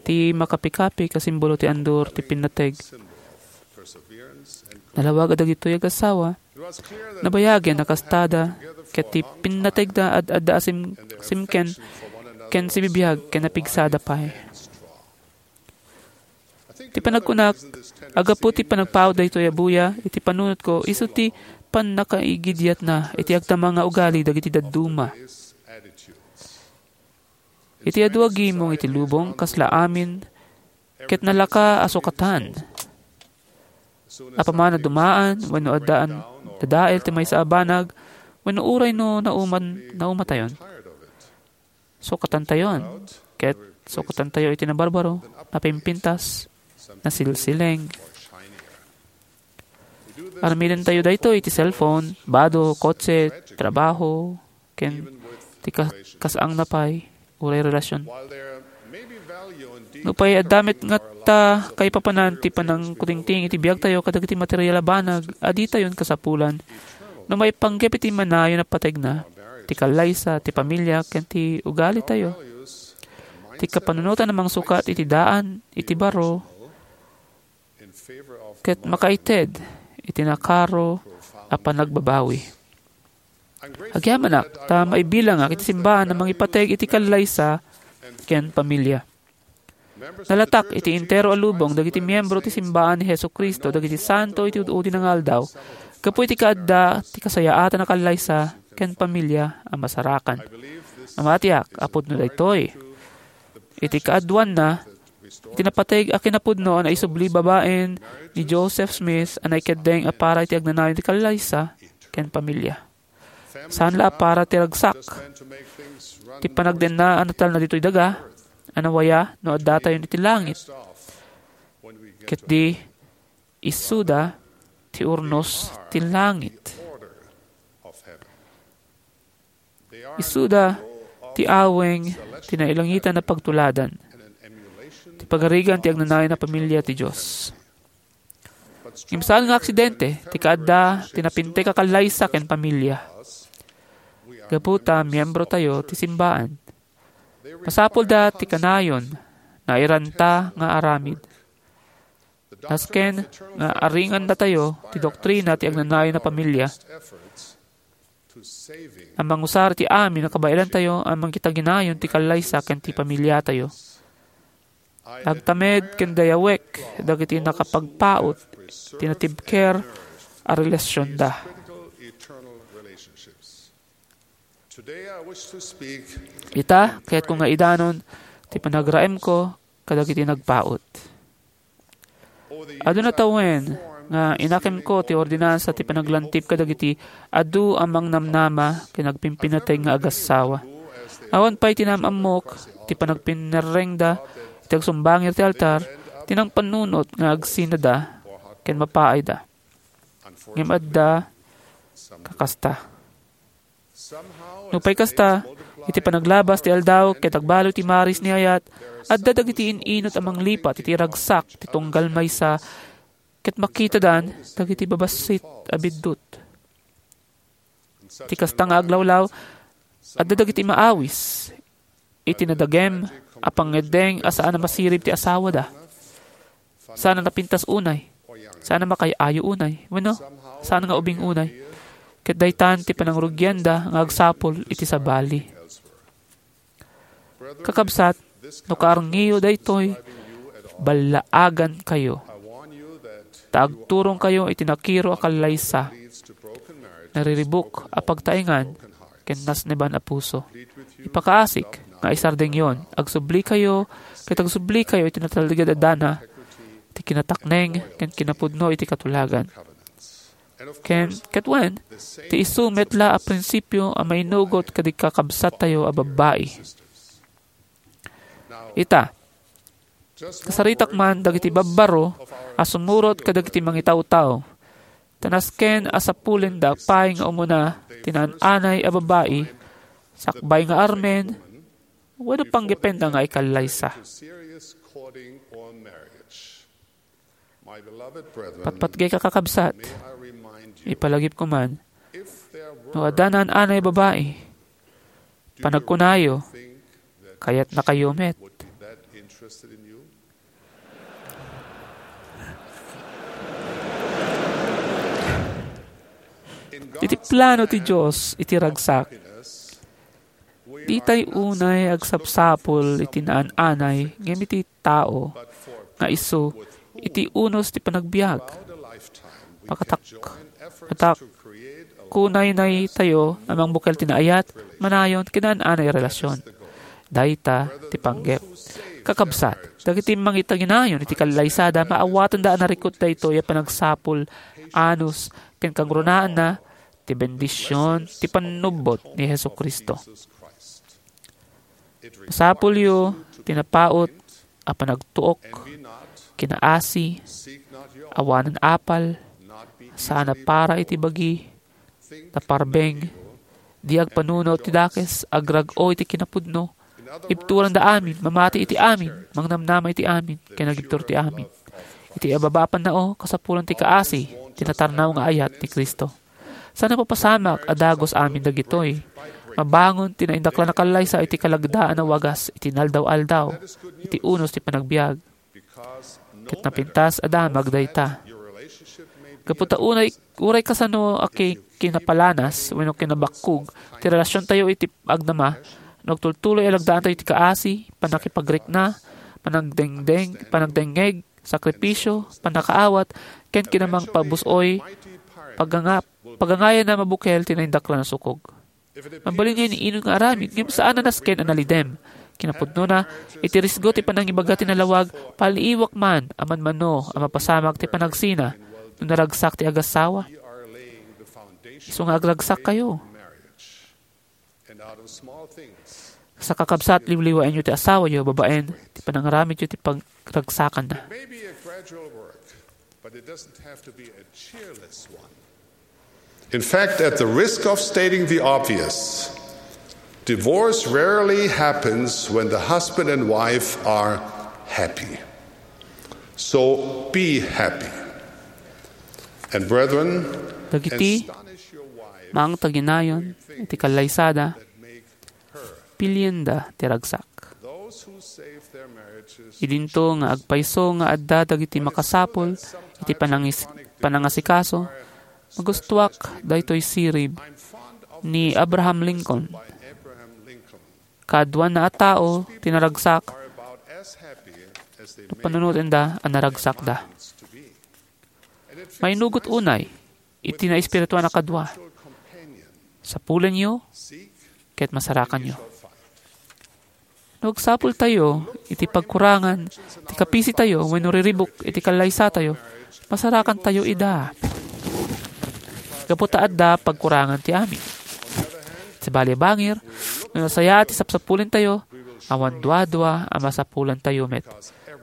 Ti makapikapi a simbolo ti andur ti pinnateg. Nalawag a dagitoy agassawa, nabayagen a kastada, ket ti pinnategda ad-adda a sim-, simken ken sibibiag ken napigsada pay. Ti panagkunak, aggapu ti panagpaut daytoy a buya iti panunotko, isu ti pannakaigidiatna iti agtamang nga ugali dagiti dadduma. Iti adu a gimong iti lubong, kasla amin, ket nalaka a sukatan. Apaman a dumaan, wenno addaan dadael ti maysa a banag, wenno uray no nauman, naumatayon. Sukatantayon, ket sukatantayo iti nabarbaro, napimpintas, nasilsiling. Armidentayo daytoy iti cellphone, bado, kotse, trabaho, ken ti ka-, kas-angna pay, uray relasyon. Nupay adda met ngata kaipapanan ti panangkutingting iti biagtayo kadagiti material a banag a ditayon kasapulan no maipanggep iti manayon a pategna, ti kallaysa, ti pamilya, ken ti ugalitayo. Ti kapanunotan a mangsukat iti daan, iti baro, ket makaited iti nakaro a panagbabawi. Agyamanak ta maibilangak iti simbaan a mangipateg iti kallaysa ken pamilya. Nalatak iti entero a lubong dagiti miyembro ti simbaan ni Jesu-Cristo dagiti santo iti ud-udi nga aldaw gapu iti kaadda ti kasayaatan a kallaysa ken pamilya a masarakan. Namatiak a pudno daytoy. Iti kaaduanna, iti napateg a kinapudno a naisubli babaen ni Joseph Smith a naikeddeng a para iti agnanayon ti kallaysa ken pamilya. Saan la a para ti ragsak. Ti panagdenna a natalna ditoy daga, a nawaya no addatayon iti langit. Ket di, isuda ti urnos ti langit. Isuda ti aweng ti nailangitan a pagtuladan. Ti pagarigan ti agnanayon a pamilya ti Dios. Ngem saan nga aksidente ti kaadda ti napintek a kallaysa ken pamilya. Gapu ta miyembro tayo ti simbaan. Masapulda ti kanayon, nairanta nga aramid. Nasken nga aringan datayo ti doktrina ti agnanayon a pamilya. A mangusar iti amin a kabaelantayo a mangkitaginayon ti kallaysa ken ti pamiliatayo. Agtamed ken dayawek dagiti nakapagpaut ti natibker a relasionda. Ita, kayatko nga idanon ti panagraemko kadagiti nagpaut. Adu natawen nga inakemko ti ordinansa ti panaglantip kadagiti adu a mangnamnama ken agpimpinateg nga agassawa. Awan pay ti naam-ammok ti panagpinerrengda iti agsumbangir ti altar ti nangpanunot nga agsinada ken mapaayda. Ngem adda kakasta. Nupay kasta, iti panaglabas ti aldaw ket agbalo ti maris ni ayat, adda dagiti in-inut a manglipat iti ragsak ti tunggal maysa ket makitadan dagiti babassit a biddut. Ti kasta nga aglawlaw, adda dagiti maawis iti nadagem a pangngeddeng a saan a masirib ti asawada. Saan a napintas unay. Saan a makay-ayo unay. Wenno, saan nga ubing unay. Ket daytan ti panangrugianda nga agsapul iti sabali. Kakabsat, no kaarngiyo daytoy, ballaagankayo. Ta agturongkayo iti nakiro a kallaysa, nariribuk a pagtaengan, ken nasneban a puso. Ipakaasik nga isardengyon, agsublikayo, ket agsublikayo iti natalged a dana ti kinatakneng ken kinapudno iti katulagan. Ken, ket wen, ti isu met la a prinsipio a mainugot kadagiti kakabsattayo a babbai. Ita, kasaritak man dagiti babbaro a sumurot kadagiti mangitawtaw, ta nasken a sapulenda pay nga umuna ti naan-anay a babbai, sakbay nga armen, wenno panggepenna nga ikallaysa. Patpatgek a kakabsat, ipalagipko man, no adda naan-anay a babbai, panagkunayo, kayatnakayo met. Iti plano ti Dios iti ragsak, ditay unay agsapsapul iti naan-anay ngem iti tao nga isu iti unos ti panagbiag. Makatak-, matak-, kunaynay tayo a mangbukel ti naayat, manayon, kinaan-anay a relasyon. Dayta ti panggep. Kakabsat, dagiti mangitaginayon iti kallaysada, maawatenda a narikut daytoy a panagsapul, anus, ken kangrunaanna ti bendision ti pannubbot ni Jesu-Cristo. Masapulyo ti napaut a panagtuok, kinaasi, awanan apal, saan a para iti bagi, naparbeng, di agpanunot ti dakes, agrag-o iti kinapudno, ibturanda amin, mamati iti amin, mangnamnama iti amin, ken agibtur ti amin. Iti ababa a pannao, kasapulan ti kaasi, ti natarnaw nga ayat ni Cristo. Saan a mapasamak a dagus amin dagitoy. Mabangon ti naindaklan a kallaysa iti kalagdaan a wagas iti inaldaw-aldaw, iti unos ti panagbiag. Ket napintas a damag dayta. Gapu ta unay, uray kasano a ki-, kinapalanas wenno kinabakkog ti relasiontayo iti agdama, no agtultuloy a lagdaantayo iti kaasi, pannakipagrikna, panagdengdeng, panagdengngeg, sakripisio, pannakaawat, ken kinamangpabus-oy, paganga-, pagangayan a mabukel ti naindaklan a sukog. Mabalin nga iniinun nga aramid, ngem saan a nasken a nalidem. Kinapudnona, iti risgo ti panangibaga ti nalawag, paliiwak man a manmano a mapasamak ti panagsina no naragsak ti agassawa. Isu nga agragsak kayo. Sa kakabsat, liwliwaenyo ti asawayo babaen ti panangaramidyo ti pagragsakanna. It may be a gradual work, but it doesn't have to be a cheerless one. In fact, at the risk of stating the obvious, divorce rarely happens when the husband and wife are happy. So be happy. And brethren, Dagiti astonish your wife mangtaginayon iti kallaysada, pilienda ti ragsak. Idinto nga agpayso nga adda dagiti makasapul iti panangis-, panangasikaso, magustuak daytoy sirib ni Abraham Lincoln. Kaaduanna a tao ti naragsak no panunotenda a naragsakda. Mainugot unay iti naespirituan a kadua. Sapulenyo ket masarakanyo. No agsapultayo iti pagkurangan ti kapisitayo wenno riribuk iti kallaysatayo, masarakantayo ida. Gapu ta adda pagkurangan ti amin. Sabali a bangir, no nasayaat ti sapsapulentayo, awan duadua a masapulantayo met.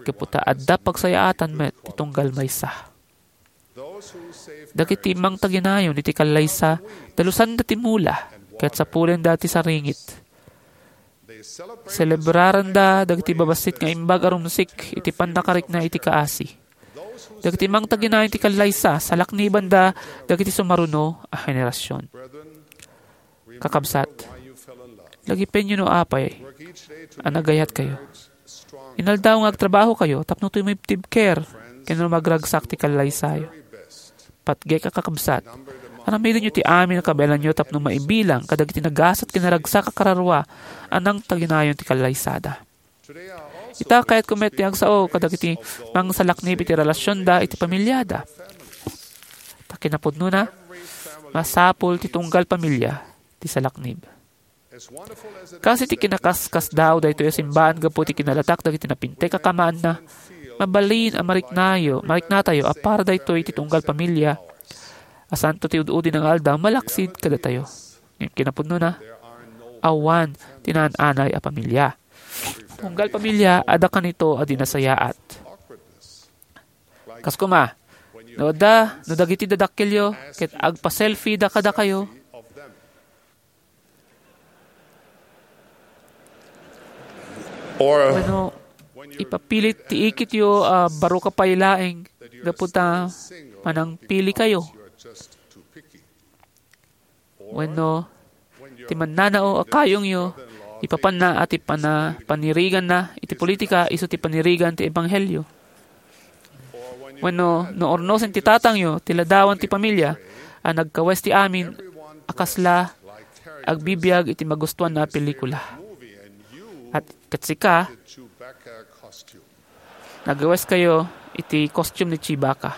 Gapu ta adda pagsayaatan met ti tunggal maysa. Dagiti mangtaginayon iti kallaysa, dalusanda ti mula, ket sapulenda ti saringit. Selebraranda dagiti babassit nga imbag a rumsik iti pannakarikna iti kaasi. Dagiti mangtaginayon iti kallaysa, salaknibanda dagiti sumaruno a henerasyon. Kakabsat, lagipenyo no apay a nagayatkayo. Inaldaw nga agtrabahokayo tapno tumibtibker ken no magragsak ti kallaysayo. Patgek a kakabsat, aramidenyo ti amin a kabaelanyo tapno maibilang kadagiti nagasat ken naragsak a kararua a nangtaginayon ti kallaysada. Ita, kayatko met ti agsao kadagiti mangsalaknib iti relasionda iti pamiliada. Ta kinapudnona, masapul ti tunggal pamilia ti salaknib. Kas iti kinakaskasdaaw daytoy a simbaan gapu iti kinalatak dagiti napintek a kamaanna, mabalin a mariknayo, mariknatayo a para daytoy iti tunggal pamilia, A santo ti ud-udi nga aldaw malaksid kadatayo. Ngem kinapudnona, awan ti naan-anay a pamilia. Tunggal pamilia, adda kanito a di nasayaat. Kas koma, no adda, no dagiti dadakkelyo ket agpa-selfie da kadakayo, Or wenno, ipapilit ti ikityo a baro ka pay laeng gapu ta manangpili kayo. Wenno, ti mannanao a kayongyo, ipapanna a ti pana-, paniriganna iti politika isu ti panirigan ti ebanghelio. Wenno, no urnosen ti tatangyo ti ladawan ti pamilia a nagkawes ti amin a kasla agbibiag iti magustuanna a pelikula. At ket sika, nagkawes kayo iti costume ni Chewbacca.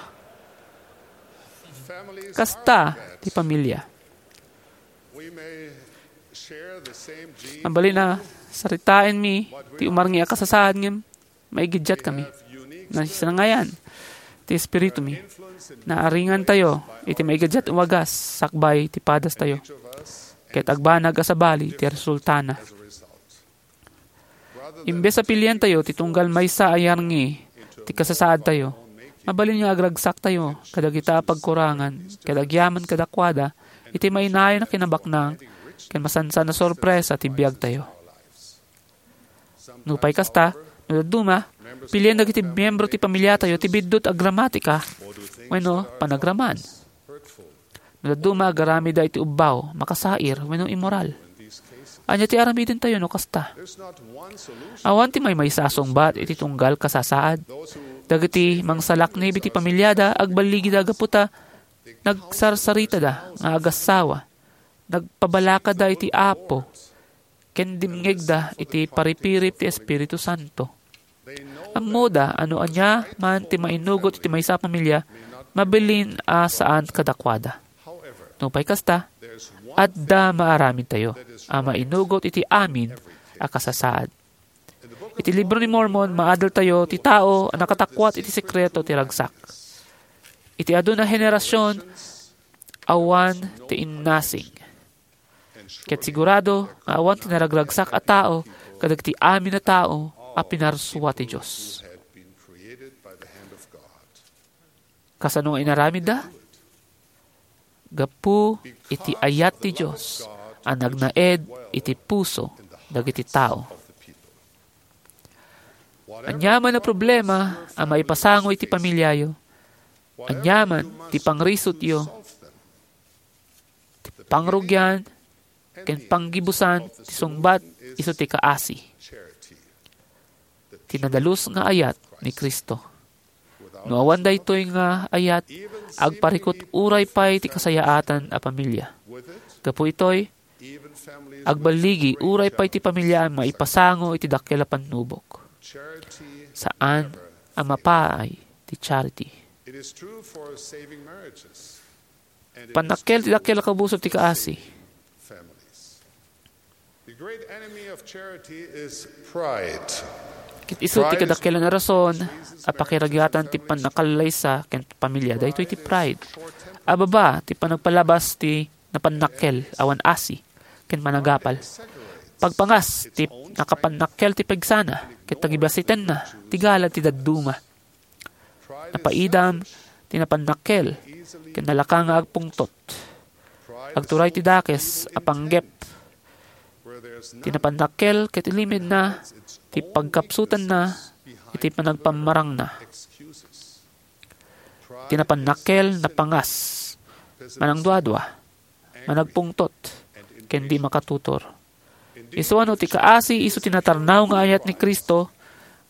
Kasta ti pamilia. Mabalin a saritaenmi ti umarngi a kasasaad ngem maigiddiatkami. Nasinangayan ti espiritumi. Naaringantayo iti maigiddiat a wagas sakbay ti padastayo. Ket agbanag a sabali ti resultana. Imbes a pilientayo ti tunggal maysa a yarngi ti kasasaadtayo, mabalin nga agragsaktayo kadagita a pagkurangan ket agyaman kadakuada iti mainayon a kinabaknang ken masansan a sorpresa ti biagtayo. Nupay kasta, no dadduma, pilien dagiti miyembro ti pamiliatayo ti biddut a gramatika wenno panagraman. No dadduma, agaramidda iti ubbaw, makasair, wenno immoral. Ania ti aramidentayo no kasta? Awan ti maymaysa a sungbat iti tunggal kasasaad. Dagiti mangsalaknib iti pamiliada, agballigida gapu ta nagsarsaritada nga agassawa. Nagpabalakada iti Apo, ken dimngegda iti paripirip ti Espiritu Santo. Ammoda a no ania man ti mainugot iti maysa a pamilia, mabalin a saan kadakuada. Nupay kasta, adda maaramidtayo a mainugot iti amin a kasasaad. Iti Libro ni Mormon, maadaltayo ti tao a nakatakuat iti sekreto ti ragsak. Iti adu a henerasion, awan ti innasing. Ket sigurado nga awan ti naragragsak a tao kadagiti amin a tao a pinarsua ti Dios. Kasano nga inaramidda? Gapu iti ayat ti Dios a nagnaed iti puso dagiti tao. Aniaman a problema a maipasango iti pamiliayo, aniaman ti pangrisutyo, ti pangrugian, ken panggibusan ti sungbat isu ti kaasi, ti nadalus nga ayat ni Cristo. No awan daytoy nga ayat, agparikut uray pay ti kasayaatan a pamilia. Gapu itoy, agballigi uray pay ti pamilia a maipasango iti dakkel a pannubok. Saan a mapaay ti charity. Pannakkel ti dakkel a kabusor ti kaasi. The great enemy of charity is pride. Ket isu ti kadakkelan a rason a pakiragatan ti pannakallaysa ken pamilya daytoy ti pride. A baba ti panagpalabas ti napannakkel awan asi ken panagapal. Pagpangas ti nakapannakkel ti pegsana ket tagibasitenna ti gala ti dadduma. Napaidam ti napannakkel ken nalaka nga agpungtot. Agturay ti dakes a panggep ti napannakkel ket ilimedna ti pagkapsutanna iti panagpammarangna. Ti napannakkel napangas, manangduadua, managpungtot, ken di makatutor. Isuano ti kaasi isu ti natarnaw nga ayat ni Cristo,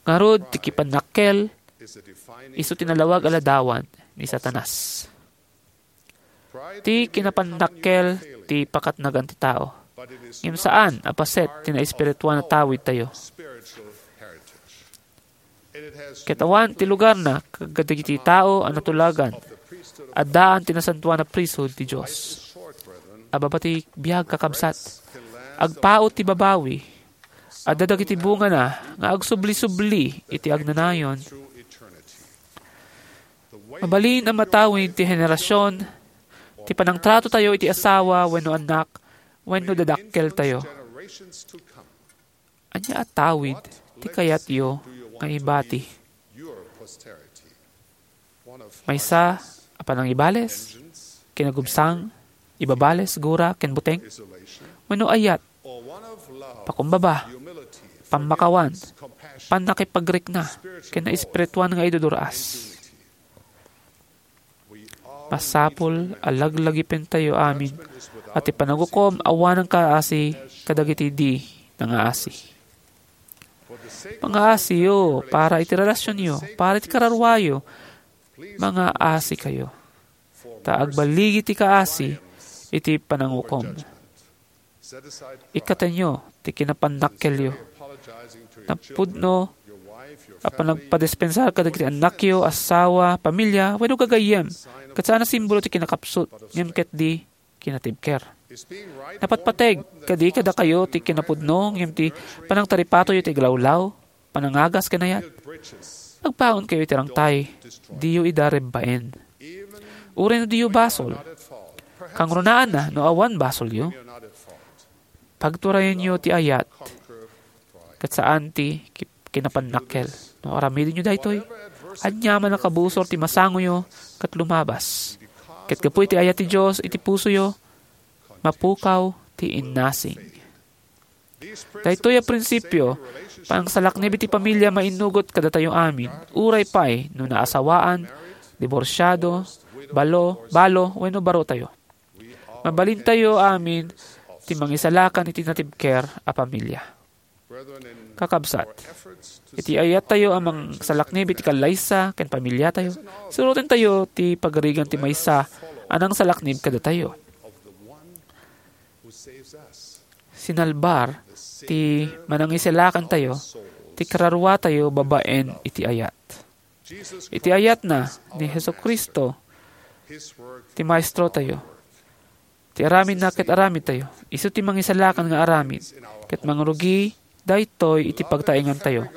ngarud ti kipannakkel isu ti nalawag a ladawan ni Satanas. Ti kinapannakkel ti pakatnagan ti tao, ngem saan a paset ti naespirituan a tawidtayo. Ket awan ti lugarna kadagiti tao a natulagan, addaan ti nasantoan a priesthood ti Dios. A baba ti biag, kakabsat, agpaut ti babawi, adda dagiti bungana nga agsubli-subli iti agnanayon. Mabalin a matawid ti henerasion ti panangtratotayo iti asawa wenno annak wenno dadakkeltayo. Ania a tawid ti kayatyo nga ibati? Maysa a panangibales, kinagubsang, ibabales, gura, ken buteng? Wenno ayat, pakumbaba, pammakawan, pannakipagrikna, ken naespirituan nga iduduraas? Masapul a laglagipentayo amin a ti panangukom awanan kaasi kadagiti di nangaasi. Mangaasiyo para iti relasionyo, para iti kararuayo. Mangaasikayo, ta agbaligi ti kaasi iti panangukom. Ikkatenyo ti kinapannakkelyo. Napudno a panagpadispensar kadagiti annakyo, asawa, pamilya, wenno gagayyem, ket saan a simbolo ti kinakapsut, ngem ket di kinatibker. Napatpateg kadi kadakayo ti kinapudno, ngem ti panangtaripatoyo ti aglawlaw, panangagas ken ayat? Agbangonkayo iti rangtay, diyo ida rebbaen. Uray no diyo basol, kangrunaan no awan basolyo, pagturayenyo ti ayat, ket saan ti ki-, kinapannakkel. No aramidenyo daytoy, aniaman a kabusor ti masangoyo ket lumabas. Ket gapu iti ayat ti Dios iti pusoyo, mapukaw ti innasing. Daytoy a prinsipio, pangsalaknib iti pamilya mainnugot kadatayo amin, uray pay no naasawaan, diborsiado, balo, balo, wenno barotayo. Mabalintayo amin ti mangisalakan iti natibker a pamilya. Kakabsat, iti ayattayo a mangsalaknib iti kallaysa ken pamilyatayo, surotentayo ti pagarigan ti maysa a nangsalaknib kadatayo. Sinalbar ti manangisalakantayo ti kararuatayo babaen iti ayat. Iti ayatna ni Jesu-Cristo ti Maestrotayo. Ti aramidna ket aramidtayo. Isu ti mangisalakan nga aramid, ket mangrugi daytoy iti pagtaengantayo.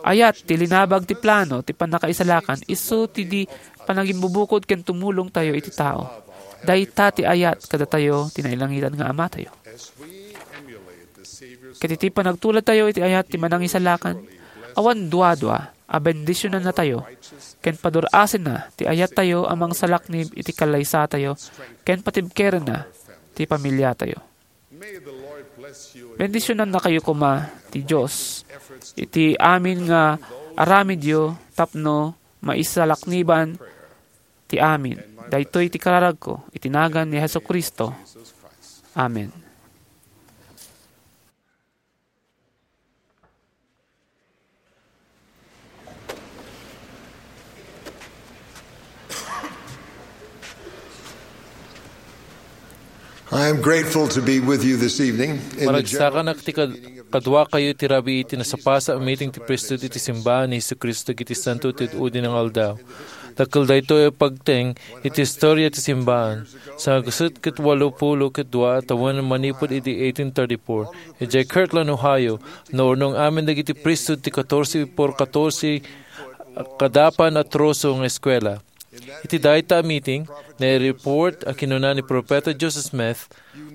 Ayat ti linabag ti plano ti pannakaisalakan, isu ti di panagimbubukod ken tumulongtayo iti tao. Dayta ti ayat kadatayo ti nailangitan nga Amatayo. Ket iti panagtuladtayo iti ayat ti manangisalakan, awan duadua a bendisionannatayo ken padur-asenna ti ayattayo a mangsalaknib iti kallaysatayo ken patibkerenna ti pamiliatayo. Bendisionannakayo koma ti Dios iti amin nga aramidyo tapno maisalakniban ti amin. Daytoy ti kararagko iti nagan ni Jesu-Cristo. Amen. I am grateful to be with you this evening in the Maragsakan a ti kad-, kaduakayo iti rabii iti nasapasao a meeting ti priesthood iti simbaan ni Jesu-Cristo iti Santo ti Udi nga Aldaw. Dakkel daytoy a pagteng iti historia ti simbaan. Sangagasut ket walo pulo ket dua a tawen manipud iti eighteen thirty-four, idiay Kirtland, Ohio, naurnong amin dagiti priesthood ti katorse por katorse a kadapan a troso nga eskuela. Iti dayta a meeting, naireport a kinuna ni Profeta Joseph Smith,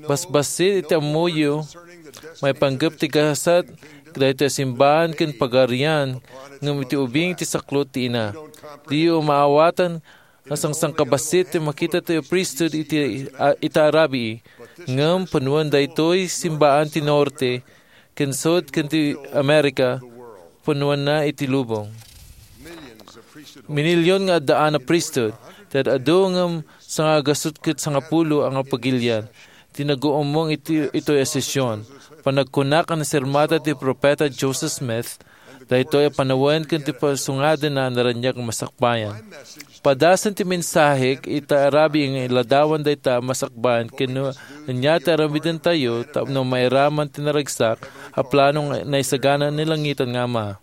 "Basbassit iti ammoyo, maipanggep ti gasat daytoy a simbaan ken pagarian, ngem iti ubing ti saklot ti ina. Diyo maawatan a sangsangkabassit ti makitatayo a priesthood iti, a, ita a rabii, ngem panoen daytoy simbaan ti norte, ken sud ken ti Amerika, panoenna iti lubong." Minilyon nga addaan a priesthood, ti ad-adu ngem sangagasut ket sangapulo a nga pagilian, ti naguummong iti, itoy a sesion. Panagkunak a nasermata ti Profeta Joseph Smith, daytoy a panawen ken ti pasungadenna a naraniag a masakbayan. Padasen ti mensahek ita a rabii nga iladawan dayta a masakbayan ken no ania ti aramidentayo tapno mairaman ti naragsak a plano nga naisagana ni langitan nga Ama.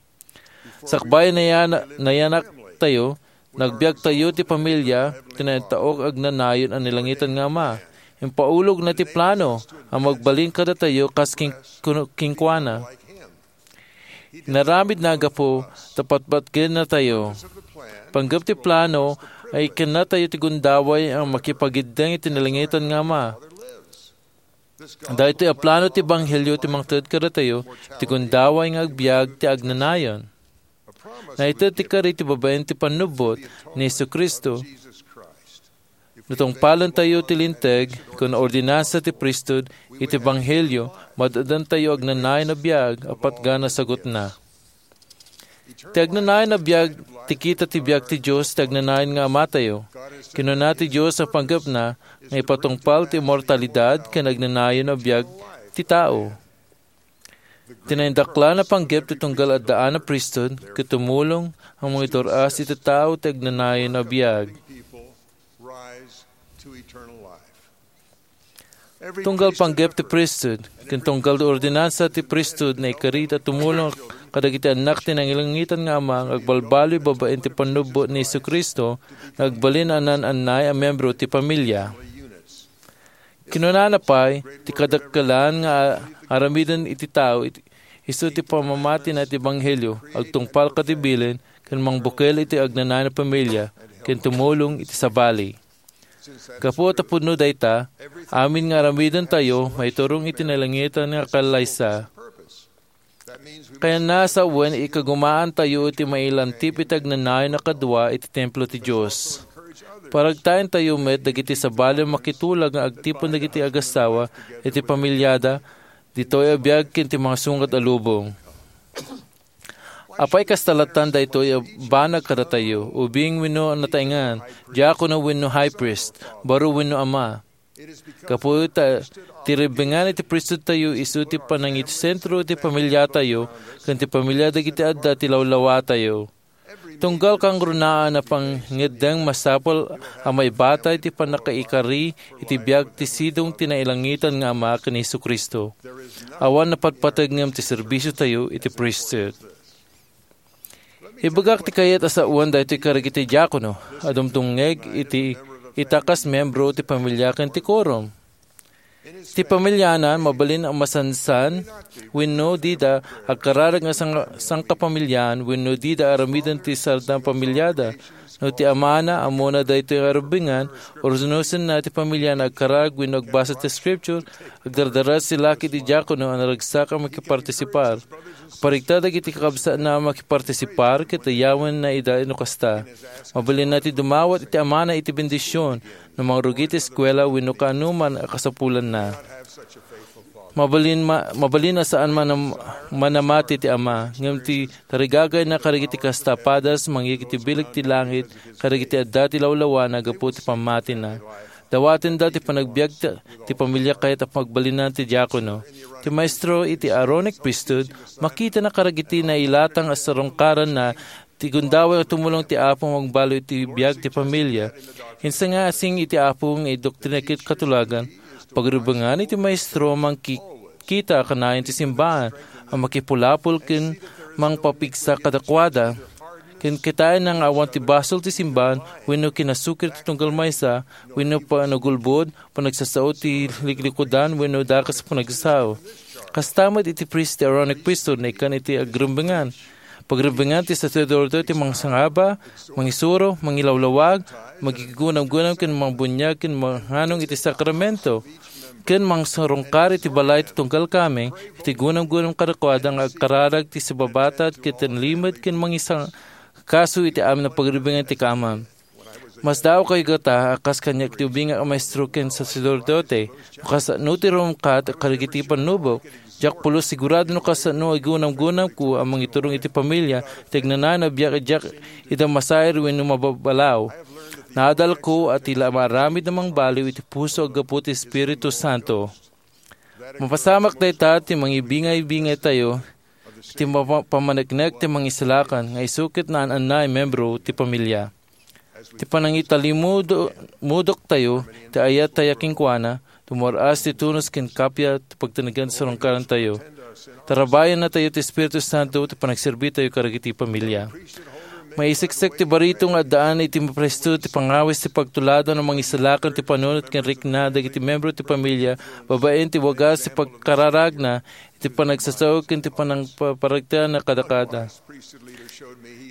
Sakbay a nayana-, nayanaktayo, nagbiagtayo ti pamilya, ti naitaok agnanayon a ni langitan nga Ama. Impaulogna ti plano a magbalin kadatayo kas kin-, kunu-, kenkuana. Inaramidna gapu ta patpatgennatayo. Panggep ti plano, Ikkannatayo ti gundaway a makipagiddeng iti nalangitan nga Ama. Daytoy a plano ti ebanghelio ti mangted kadatayo iti gundaway nga agbiag ti agnanayon. Naited ti kari ti babaen ti pannubbot ni Jesu-Cristo. No tungpalentayo ti linteg ken ordinansa ti priesthood iti ebanghelio, mad-adantayo agnanayon a biag a patgan a sagutna. Ti agnanayon a biag ti kita ti biag ti Dios ti agnanayon nga Amatayo. Kinuna ti Dios a panggepna nga ipatungpal ti immortalidad ken agnanayon a biag ti tao. Ti naindaklan a panggep ti tunggal addaan a priesthood ket tumulong a mangitur-as iti tao ti agnanayon a biag. Tunggal panggep ti priesthood ken tunggal ti ordinansa ti priesthood, naikari ta tumulong kadagiti annak ti nangilangitan nga Ama nga agbalbaliw babaen ti pannubbot ni Jesu-Cristo nga agbalin a naan-annay a membro ti pamilia. Kinunana pay, ti kadakkelan nga aramiden iti tao iti, isu ti pamamatina iti ebanghelio, agtungpal kadi bilin, ken mangbukel iti agnanayon a pamilia, ken tumulong iti sabali. Gapu ta pudno dayta, amin nga aramidentayo maiturong iti nalangitan nga kallaysa. Kayatna a sawen, ikagumaantayo iti mailantip iti agnanayon a kadua iti templo ti Dios. Paragtaentayo met dagiti sabali a makitulag nga agtipon dagiti agassawa iti pamiliada, ditoy a biag ken ti mga sungad a lubong. Apay kasta lattan daytoy a banag kadatayo, ubing wenno nataengan, diakono wenno high priest, baro wenno ama? Gapu ta ti ribbengan iti priesthoodtayo isu ti panangitsentro iti pamiliatayo ken ti pamilia dagiti adda ti lawlawatayo. Tunggal kangrunaan a pangngeddeng, masapul a maibatay ti pannakaikari iti biag ti sidong ti nailangitan nga Ama ken ni Jesu-Cristo. Awan napatpateg ngem ti serbisiotayo iti priesthood. Ibagak ti kayat a sawen daytoy kadagiti diakono a dumdumngeg iti ita kas membro ti pamilia ken ti quorum. Ti pamiliana mabalin a masansan wenno dida agkararag nga sang-, sangkapamilian wenno dida aramiden ti sardang pamiliada. No ti amana ammona daytoy nga rubbengan, urusnosenna ti pamiliana agkararag wenno agbasa ti Scripture, agdardaras ti laki ti diakono a naragsak a makipartisipar. Parigta dagiti kakabsatna a makipartisipar ket dayawenna ida no kasta. Mabalinna ti dumawat iti amana iti bendision no mangrugi ti eskuela wenno kaanoman a kasapulanna. Mabalin, ma-, mabalin a saan manam-, manamati ti ama, ngem ti tarigagayna kadagiti kasta a padas mangyeg iti bileg ti langit kadagiti adda ti lawlawana gapu ti pammatina. Dawatenda ti panagbiag ti, ti pamiliana ket agbalin ti diakono. Ti maestro iti Aaronic priesthood, makitana kadagiti nailatang a sarungkaranna ti gundaway a tumulong ti Apo nga agbaliw iti biag ti pamilia. Insan nga asing iti Apo nga idoktrina ket katulagan, pagrubbengan iti maestro a mangki-, kita kanayon ti simbaan a makipulapol ken mangpapigsa kadakuada. Ken kitaenna nga awan ti basol ti simbaan wenno kinasukir ti tunggal maysa wenno panagulbod, panagsasao ti liklikudan wenno dakes a panagsao. Kasta met iti priest ti Aaronic priesthood, naikkan iti agrubbengan. Pagrubbengan ti saserdote ti mangsangaba, mangisuro, mangilawlawag, magigunamgunam ken mangbuniag ken mangnganong iti sakramento, ken mangsarungkar iti balay ti tunggal kameng iti gunamgunam kadakuada nga agkararag ti sibabatad ket tinlimed ken mangisang-, kaso iti amin a pagrubbengan ti kamam. Masdaawkayo gata a kas kaniak ti ubingak a maestro ken saserdote, no kasano ti rumkat kadagiti pannubok. Diak pulos sigurado no kasano a gunamgunamko a mangiturong iti pamilia ti agnanayon a biag a diak ida masair wenno mababalaw. Naadalko a ti la maaramid a mangbaliw iti puso a gapu ti Espiritu Santo. Mapasamak dayta ti mangibingay-bingaytayo ti mapa-, pammaneknek ti mangisalakan nga isu ket naan-annay membro ti pamilia. Ti panangitalimudo-, mudoktayo ti ayattayo kenkuana, tumur-as ti tunos ken kappia ti pagtenggen ti sarungkarantayo. Tarabayannatayo ti Espiritu Santo ti panagserbitayo kadagiti pamilia. Maisiksik ti barito nga addaan iti mapresto ti pangawis ti pagtuladan a mangisalakan ti panunot ken rikna dagiti membro ti pamilia babaen ti wagas ti pagkararagna ti panagsasaw ken ti panangpaparagtana kadakada.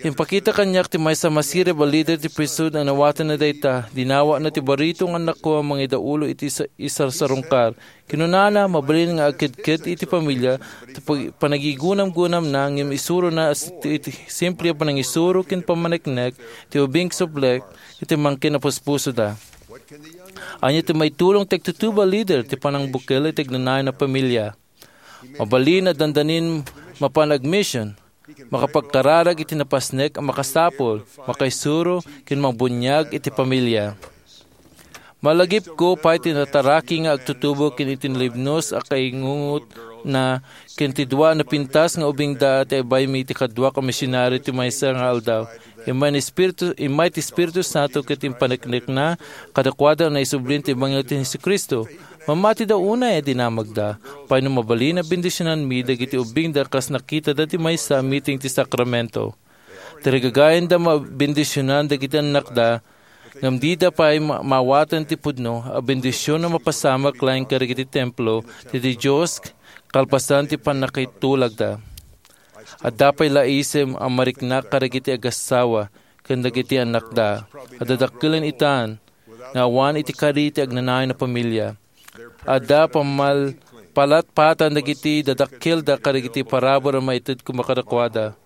Impakita kaniak ti maysa a masirib a lider ti priesthood a nawatenna dayta. Dinawatna ti barito nga annakko a mangidaulo iti sa-, isarsarungkar. Kinunana, mabalin nga agkedked iti pamilia ti pag-, panagigunam-gunamna, ngem isurona a s-, ti, ti simple a panangisuro ken pammaneknek ti ubing sublek iti mangkin a puspusoda. Ania ti maitulong ti agtutubo a lider ti panangbukel iti agnanayon a pamilia? Mabalin a dandanin mapan agmission, makapagkararag iti napasnek a makasapul, makaisuro, ken mabuniag iti pamilia. Malagipko pay ti nataraki nga agtutubo ken iti nalibnos a kaingungot na ken ti dua a napintas nga ubingda ti ibaymi ti kaduak a misionaryo ti maysa nga aldaw. Immay ni Espiritu, immay ti Espiritu Santo ket impaneknekna kadakuada a naisublin ti ebanghelio ti Jesu-Cristo. Mammatida unay a dinamagda. Pay no mabalin a bendisionanmi dagiti ubingda kas nakitada ti maysa a meeting ti sakramento. Tarigagayanda mabendisionan dagiti annakda, ngem dida pay ma-, maawatan ti pudno a bendision a mapasamak laeng kadagiti templo ti, ti Dios kalpasan ti pannakitulagda. Adda pay la isem a mariknak kadagiti agassawa ken dagiti annakda a dadakkelen itan nga awan iti kari ti agnanayon a pamilia. Adda pammal-, palatpatan dagiti dadakkelda kadagiti parabur a maited koma kadakuada.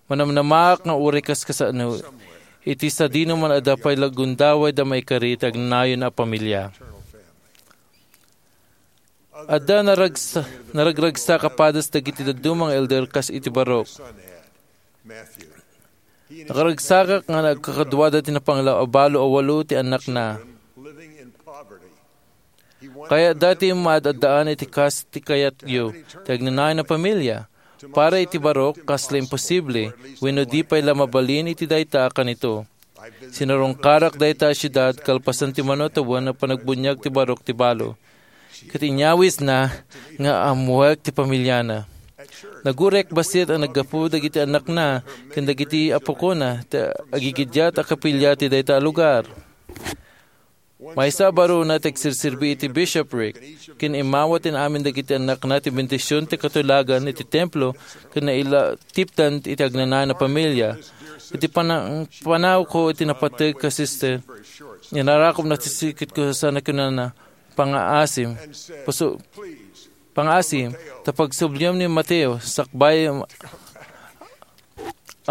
Manamnamaak nga uray kaskasano, iti sadino man adda pay la gundawayda maikari ti agnanayon a pamilia. Adda naragsa-, naragragsak a padas dagiti dadduma nga elder kas iti barok. Nakaragsakak nga nagkakaduada ti napanglaw a balo a walo ti annakna. Kayatda ti maad-addaan iti kas ti kayatyo, ti agnanayon a pamilia. Para iti barok, kasla imposible, wenno di pay la mabalin iti dayta a kanito. Sinarungkarak dayta a siudad kalpasan ti mano a tawen a panagbuniag ti barok ti balo. Ket inyawisna nga ammoek ti pamiliana. Nagurek bassit a naggapu dagiti annakna ken dagiti apukona ti agigidiat a kapilya ti dayta a lugar. Maysa a barona ti agserserbi iti bishopric, ken immawat ti amin dagiti annakna ti bendision ti katulagan iti templo ken nailatipdan iti agnanayon a pamilia. Iti panang-, panawko iti napateg a sister, inarakop na ti sikitko sana kinana, "Pangaasim, puso, pangaasim, ta pagsubliam ni Mateo, sakbay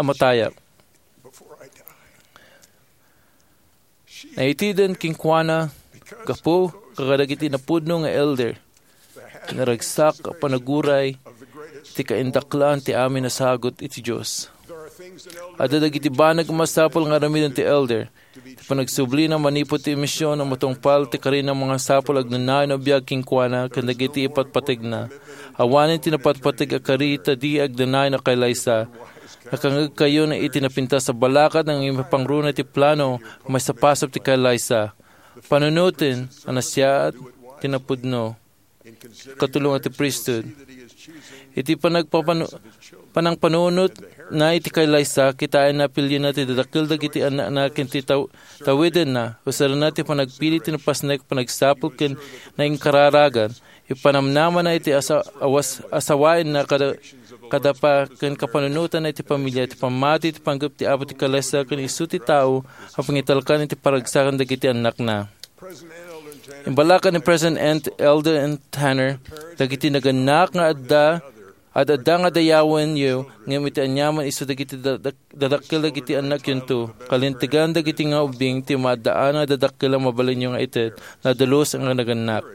a matayak." Naiteden kenkuana gapu kadagiti napudno nga elder. Naragsak a panaguray ti kaindaklan ti amin a sagut iti Dios. Adda dagiti banag a masapul nga aramiden ti elder. Ti panagsublina manipud ti mision a matungpal ti karina a mangasapul agnanayon a biag kenkuana ken dagiti ipatpategna. Awanen ti napatpateg a kari ta di agnanayon a kaylaysa. Nakangngegkayon iti napintas a balakad nga ipapangruna ti plano a maisapasap ti kaylaysa. Panunoten a nasayaat ti napudno. Katulong ti priesthood. Iti panagpapanu-, panangpanunot na iti kaylaysa, kitaen na apilyenna ti dadakkel dagiti annakna ken ti taw-, tawidenna, usarenna ti panagpili ti napasnek, panagsapul ken naingkararagan. Ipanamnamana iti asa-, awas-, asawaenna kada, kada pa ken kapanunotanna iti pamilia, iti pammati, iti panggep ti Apo ti kaylaysa ken isu ti tao a pangitalkan iti paragsakan dagiti annakna. Imbalakan ni President N. Eldon Tanner dagiti nagannak nga adda, ad-adda nga dayawenyo, ngem iti aniaman isu dagiti da-, da-, dadakkel dagiti annakyonto. Kalintegan dagiti nga ubbing ti maaddaan nga dadakkel a mabalinyo nga ited, nadalos nga nagannak.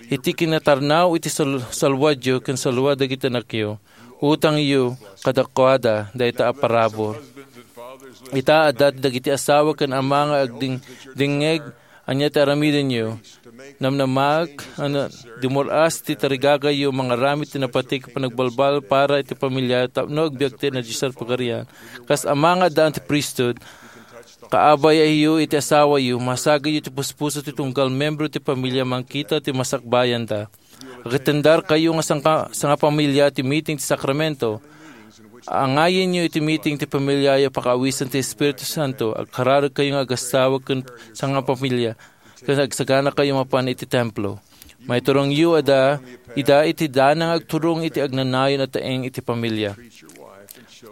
Iti kinatarnaw iti sal-, salwadyo ken salwad dagiti annakyo, utangyo kadakuada dayta a parabur. Ita, adda dagiti asawa ken ama nga agding-, dingngeg, ania ti aramidenyo? Namnamaak a na-, dumur-as ti tarigagayyo mangaramid ti napateg a panagbalbal para iti pamilya tapno agbiag ti nadiosan a pagarian. Kas ama nga addaan ti priesthood, kaabayayo iti asawayo, masagayyo ti puspuso ti tunggal membro ti pamilya mangkita ti masakbayanda. Agtendarkayo nga sangka-, sangapamilya ti meeting ti sakramento. Angayenyo iti meeting ti pamilyayo pakaawisen ti Espiritu Santo. Agkararagkayo nga agassawa ken sangapamilya, ken agsaganakayo mapan iti templo. Maiturongyo ida, ida iti dana nga agturong iti agnanayon a taeng iti pamilya.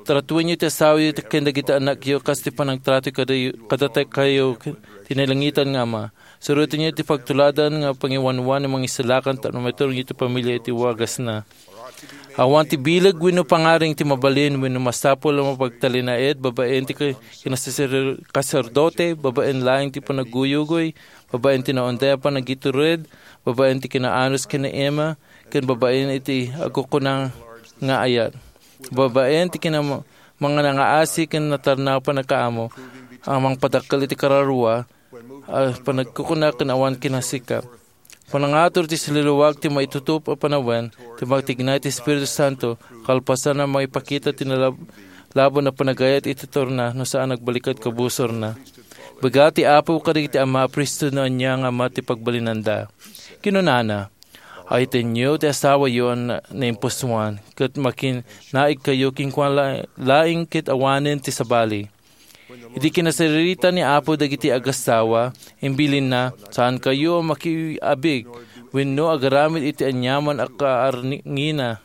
Tratuenyo ti asawayo ken dagiti anakyo kas ti panagtrato kadayo, kadatayo ti nailangitan nga Ama. Surotenyo ti pagtuladan nga pangiwanwan nga mangisalakan tapno maiturongyo ti pamilya iti wagasna. Awan ti bileg wenno pangaring ti mabalin wenno masapul a mapagtalinaed babaen ti ka-, kinasasir-, kaserdote, babaen laeng ti panaguyugoy, babaen ti naunday a panagitured, babaen ti kinaanus ken ni Emma, ken babaen iti agkukuna nga ayat. Babaen ti kinam-, mangangaasi ken natarnaw a panagkaamo, a mangpadakkel iti kararua, a panagkukuna ken awan kinasikap. Panangatur ti siluluag ti maitutop a panawen, ti magtignay ti Espiritu Santo, kalpasan a maipakita ti nalab-, labon a panagayat iti torna no saan nagbalikad kabusorna. Bigat ti Apo kadagiti ama a priesthood no ania nga ama ti pagbalinanda. Kinunana, "Aytenyo ti asawayo a na-, naimpusoan, ket makinaigkayo kenkuana la-, laeng ket awanen ti sabali." Idi kinasirita ni Apo dagiti agasawa, imbilinna, "Saankayo a makiabig wenno agaramid iti aniaman a kaarningina."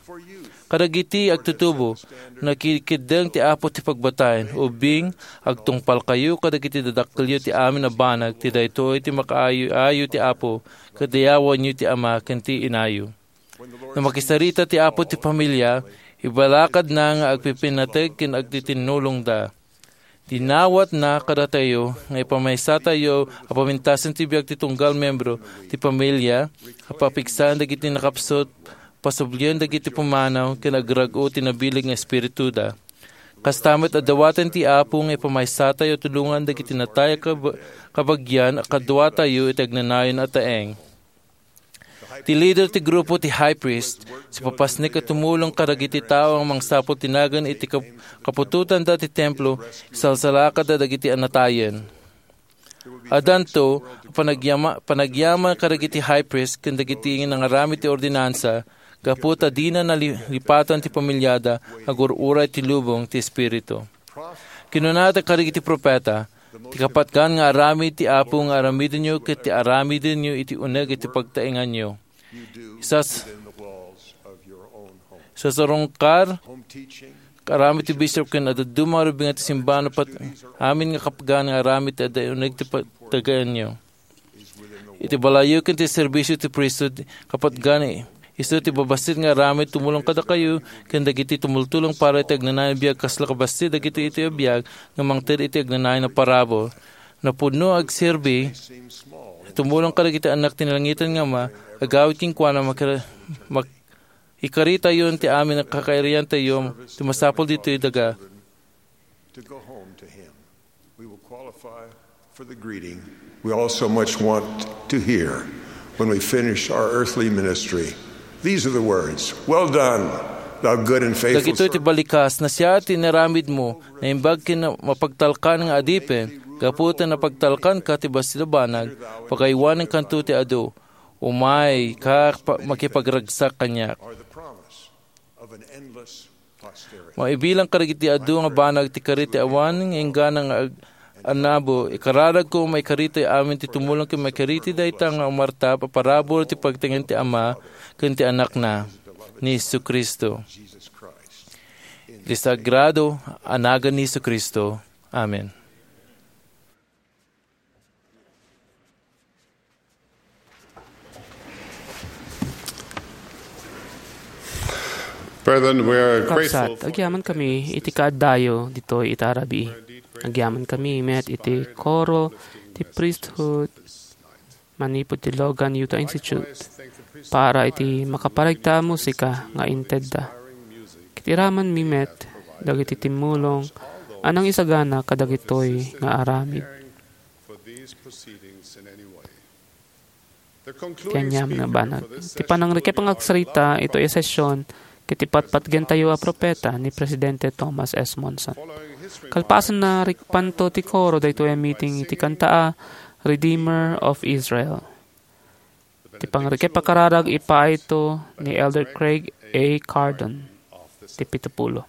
Kadagiti agtutubo, nakikeddeng ti Apo ti pagbataen, ubing, agtungpalkayo kadagiti dadakkelyo ti amin a banag, ti daytoy ti makaayo-ayo ti Apo, ket dayawanyo ti ama ken ti inayo. No makisarita ti Apo ti pamilya, ibalakadna nga agpipinateg ken agtitinnulongda. Dinawatna kadatayo nga ipamaysatayo a pamintasen ti biag ti tunggal membro ti pamilya, a papigsaen dagiti nakapsut, pasublien dagiti pumanaw, ken agrag-o ti nabileg nga espirituda. Kasta met a dawaten ti Apo nga ipamaysatayo a tulongan dagiti natay a kab-, kabagian a kaduatayo iti agnanayon a taeng. Ti leader ti grupo ti high priest, sipapasnek a tumulong kadagiti tao a mangsapul ti nagan iti kap-, kaputotanda ti templo, isalsalakadda dagiti anatayen. Addanto a panagyama-, panagyaman kadagiti high priest ken dagiti nangaramid ti ordinansa, gapu ta dina nali-, lipatan ti pamilyada, agur-uray ti lubong ti Espiritu. Kinunada kadagiti propeta, "Ti kapatgan nga aramid ti Apo nga aramidenyo ket ti aramidenyo iti uneg iti pagtaenganyo." Isas-, isasarungkar, aramid ti bishop ken dadduma a rubingan ti simbahan, pat-, amin nga kapatgan nga aramid ti adda uneg ti pagtaenganyo. Iti balayyo ken ti serbisyo ti priesthood, kapatgan, isu ti babassit nga aramid tumulong kadakayo ken dagiti tumultulong para iti agnanayon a biag, kasla kabassit dagiti iti biag nga mangted iti agnanayon a parabur. Napudno a agserbi, tumulong kadagiti annak ti nalangitan nga Ama, agawid kenkuana, makira-, mak-, ikaritayon ti amin a kakairiantayo ti masapul ditoy daga. To go home to Him. We will qualify for the greeting we all so much want to hear when we finish our earthly ministry. These are the words, "Well done, thou good and faithful servant." Dagitoy ti balikas, "Nasia ti inaramidmo, naimbag ken mapagtalkan nga adipen, gapu ta napagtalkanka ti bassit a banag, pagaywanenkanto ti adu. Umayka pa-, makipagragsak kaniak." Are the promise of an endless posterity. Maibilang kadagiti adu nga banag ti karit ti awan nga inggana nga ag-, annabo. Ikararagko, maikarita amin ti tumulong ken maikarita dayta nga umartap a parabur ti pagtaengan ti Ama ken ti Anakna, ni Jesu-Cristo. Iti sagrado a nagan ni Jesu-Cristo. Amen. Brethren, we are grateful. Kabsat, for agyaman kami iti kaaddayo ditoy ita a rabii. Agyaman kami met iti koro ti priesthood manipud ti Logan Utah Institute para iti makaparegta a musika nga intedda. Ket iramanmi met dagiti timmulong a nangisagana kadagitoy nga aramid. For these proceedings in any way. Ti aniam nga banag. Ti panangrekep nga agsarita itoy a session ket ti patpatgentayo a propeta ni Presidente Thomas S. Monson. Kalpasanna, rikpanto ti koro daytoy a meeting iti kanta a Redeemer of Israel. Ti pangrekep a kararag ipaayto ni Elder Craig A. Cardon, ti pitupulo.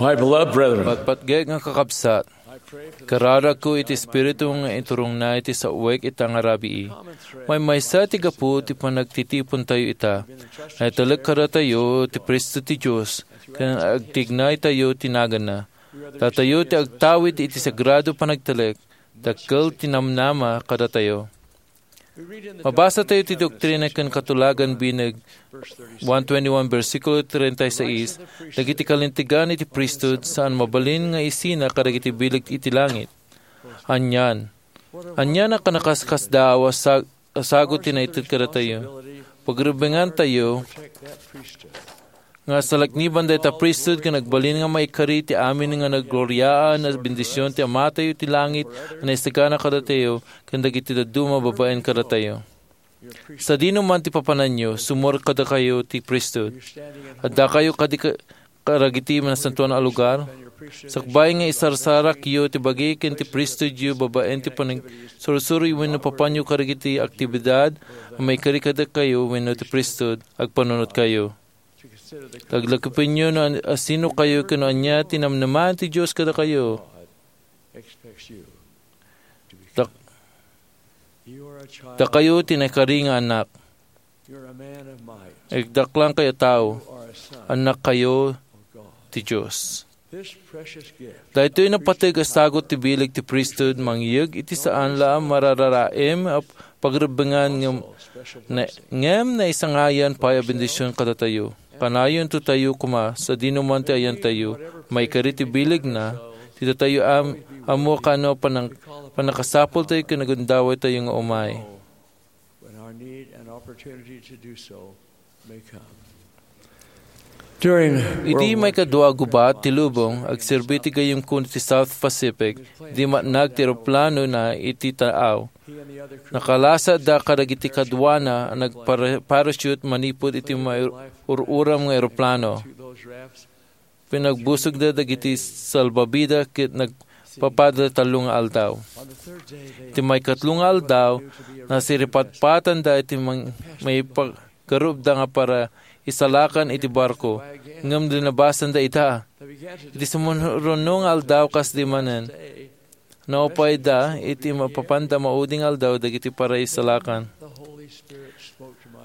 My beloved brethren, patpatgek nga kakabsat, kararagko iti Espiritu nga iturongna iti saoek ita nga rabii. Maymaysa ti gapu ti panagtitipontayo ita. Naitalek kadatayo ti priesthood ti Dios, ken agtignaytayo ti naganna. Datayo ti agtawid iti sagrado panagtalek, dakkel ti namnama kadatayo. Mabasa tayo ti Doktrina ken Katulagan bineg one twenty-one, bersikulo treinta y seis, dagiti kalintegan iti priesthood saan mabalin nga isina kadagiti bileg iti langit. Anian, anian a kanakaskasdaaw a sa-, a sagut ti naited kadatayo. Pagrebbengantayo nga salakniban dayta priesthood ken agbalin nga maikari ti amin nga naggloriaan a bendision ti Amatayo ti langit a naisagana kadatayo ken dagiti dadduma babaen kadatayo. Sadino man ti papananyo, sumurot kadakayo ti priesthood. Addakayo kadi ka-, kadagiti nasantoan a lugar? Sakbay nga isarsarakyo ti bagi ken ti priesthoodyo babaen ti panagsursuro wenno papanyo kadagiti aktibidad a maikari kadakayo wenno ti priesthood, agpanunotkayo. Laglagipenyo no an-, asinokayo ken no ania ti namnama ti Dios kadakayo. Dak-, dakayo ti naikari nga annak. Agdaklangkayo a tao. Annakkayo ti Dios. Daytoy napateg a sagut ti bileg ti priesthood mangyeg iti saan la a marararaem a pagrebbengan ngem, na, ngem naisangayan pay a bendision kadatayo. Kanayonto tayo koma, sadino man ti ayantayo, maikari ti bilegna, ti datayo am-, ammo kano panang-, pannakasapultayo ken agundawaytayo nga umay. When our need and opportunity to do so may come. During Idi World War maikadua a gubat ti lubong, agserbi ti gayyemko iti South Pacific, idi matnag ti eroplano na iti taaw. Nakalasatda kadagiti kaduana a nagpara-, parachute manipud iti maur-uram nga eroplano. Pinagbusogda dagiti salbabida ket nagpapada tallo nga aldaw. Iti maikatlo nga aldaw, nasiripatpatanda iti mang-, maipagarupda nga paraisalakan iti barko, ngem linabasanda ita. Iti sumuruno nga aldaw kasdi manen, naupayda iti mapapanda maudi nga aldaw dagiti paraisalakan.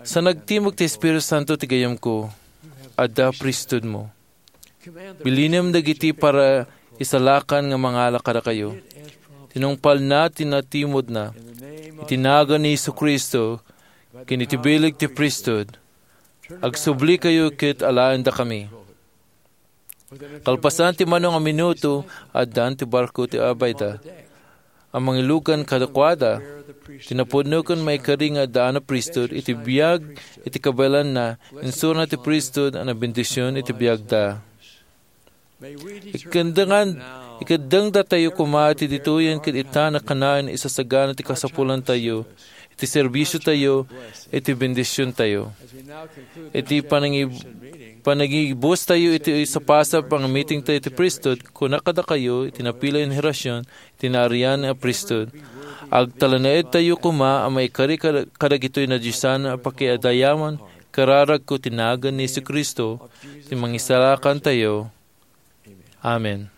Sa nagtimok ti Espiritu Santo ti gayyemko, adda priesthoodmo. Bilinem dagiti paraisalakan nga mangala kadakayo. Tinungpalna ti natimudna. Iti nagan ni Jesu-Cristo, ken iti bileg ti priesthood, agsublikayo ket alaendakami. Kalpasan ti mano nga minuto, addan ti barko ti abayda a mangilugan kadakuada. Ti napudno ken maikari nga addaan a priesthood iti biag iti kabaelanna, insurona ti priesthood a nabendision iti biagda. Ikaddengan, ikeddengdatayo koma ti ditoyen ket ita nakanayon isasagana ti kasapulantayo, iti serbisiotayo, iti bendisiontayo. Iti panangib-, panangibustayo iti sapasap nga meetingtayo iti priesthood, kuna kadakayo iti napili a henerasyon, ti naarian a priesthood. Agtalinaedtayo koma a maikari kada-, kadagitoy nadiosan a pakiadayaman, kararagko ti nagan ni Jesu-Cristo, ti Mangisalakantayo. Amen.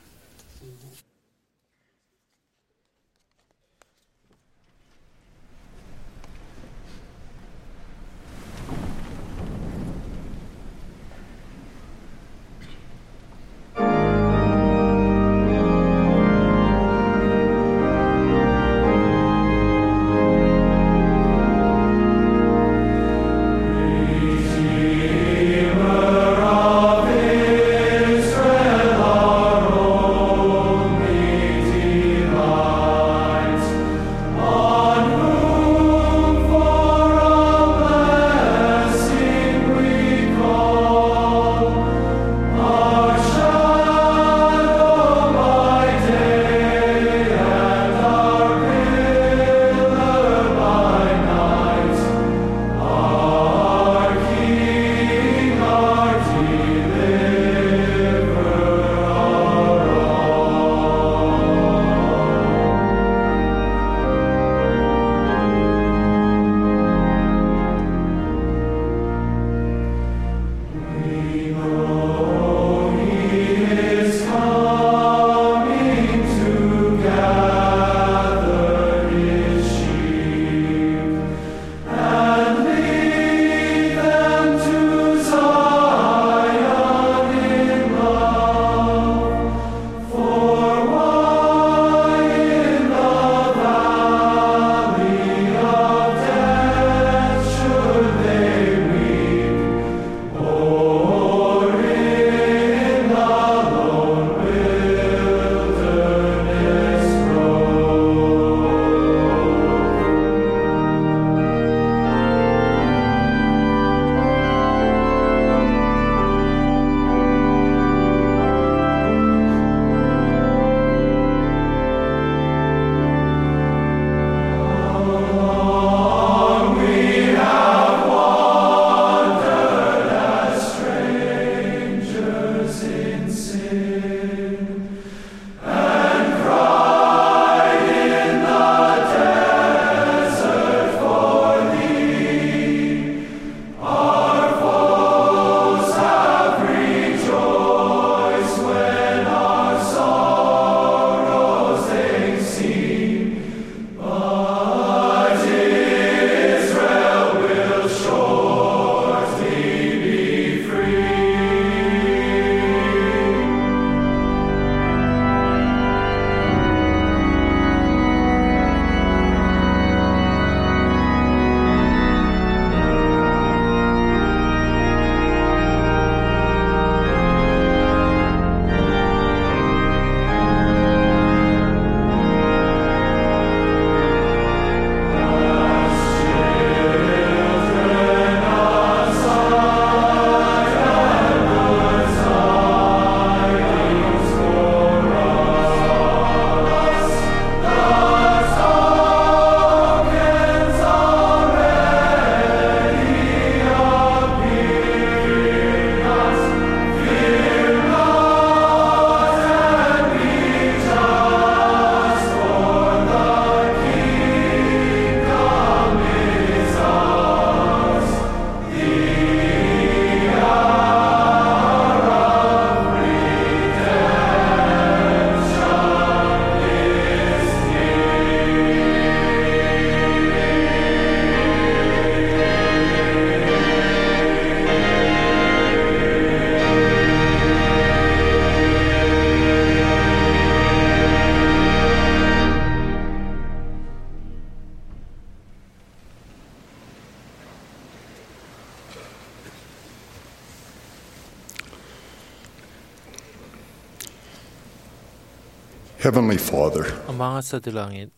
Heavenly Father, Ama nga sa ti langit,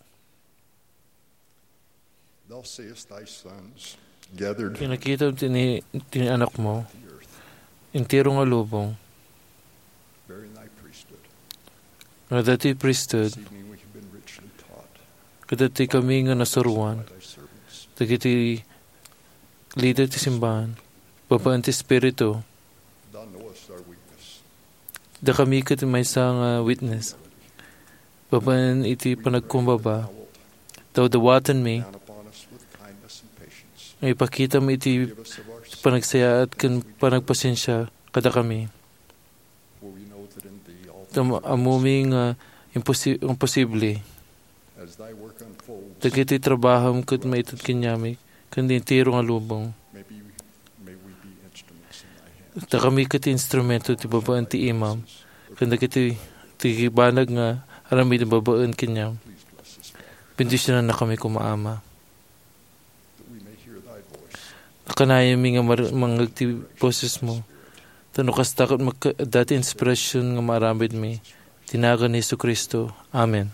thou seest thy sons gathered pinakitam ti ni, ti ni anakmo, intiro nga lubong, bearing thy priesthood. Nga dati priesthood, this evening we have been richly taught. Kadati kami nga nasuruan, by thy servants. Dagiti leader ti simbahan, babaen ti Espiritu. Thou knowest our weakness. Da kami ket maysa nga witness. Babaen iti panagkumbaba, dawdawatenmi, down upon us with kindness and patience. Nga ipakitam iti panagsayaat ken panagpasensia kadakami. For we know that in thee all things are possible. Tam-, ammumi nga imposi-, imposible. As thy work unfolds, dagiti trabahom ket maited kaniami ken ti entero nga lubong. May we, may we be instruments in thy hand. Ta kami ket instrumento ti babaen ti imam, ken dagiti ti banag nga aramid babaen kaniam. Please bless us, Lord. Bendisionanna kami koma, Ama. That we may hear thy voice. Nakanayami nga mar-, mangngeg ti bosesmo. Tapno kasta ket magka-, dati inspirasyon nga maaramidmi. Ti nagan ni Jesu-Cristo. Amen.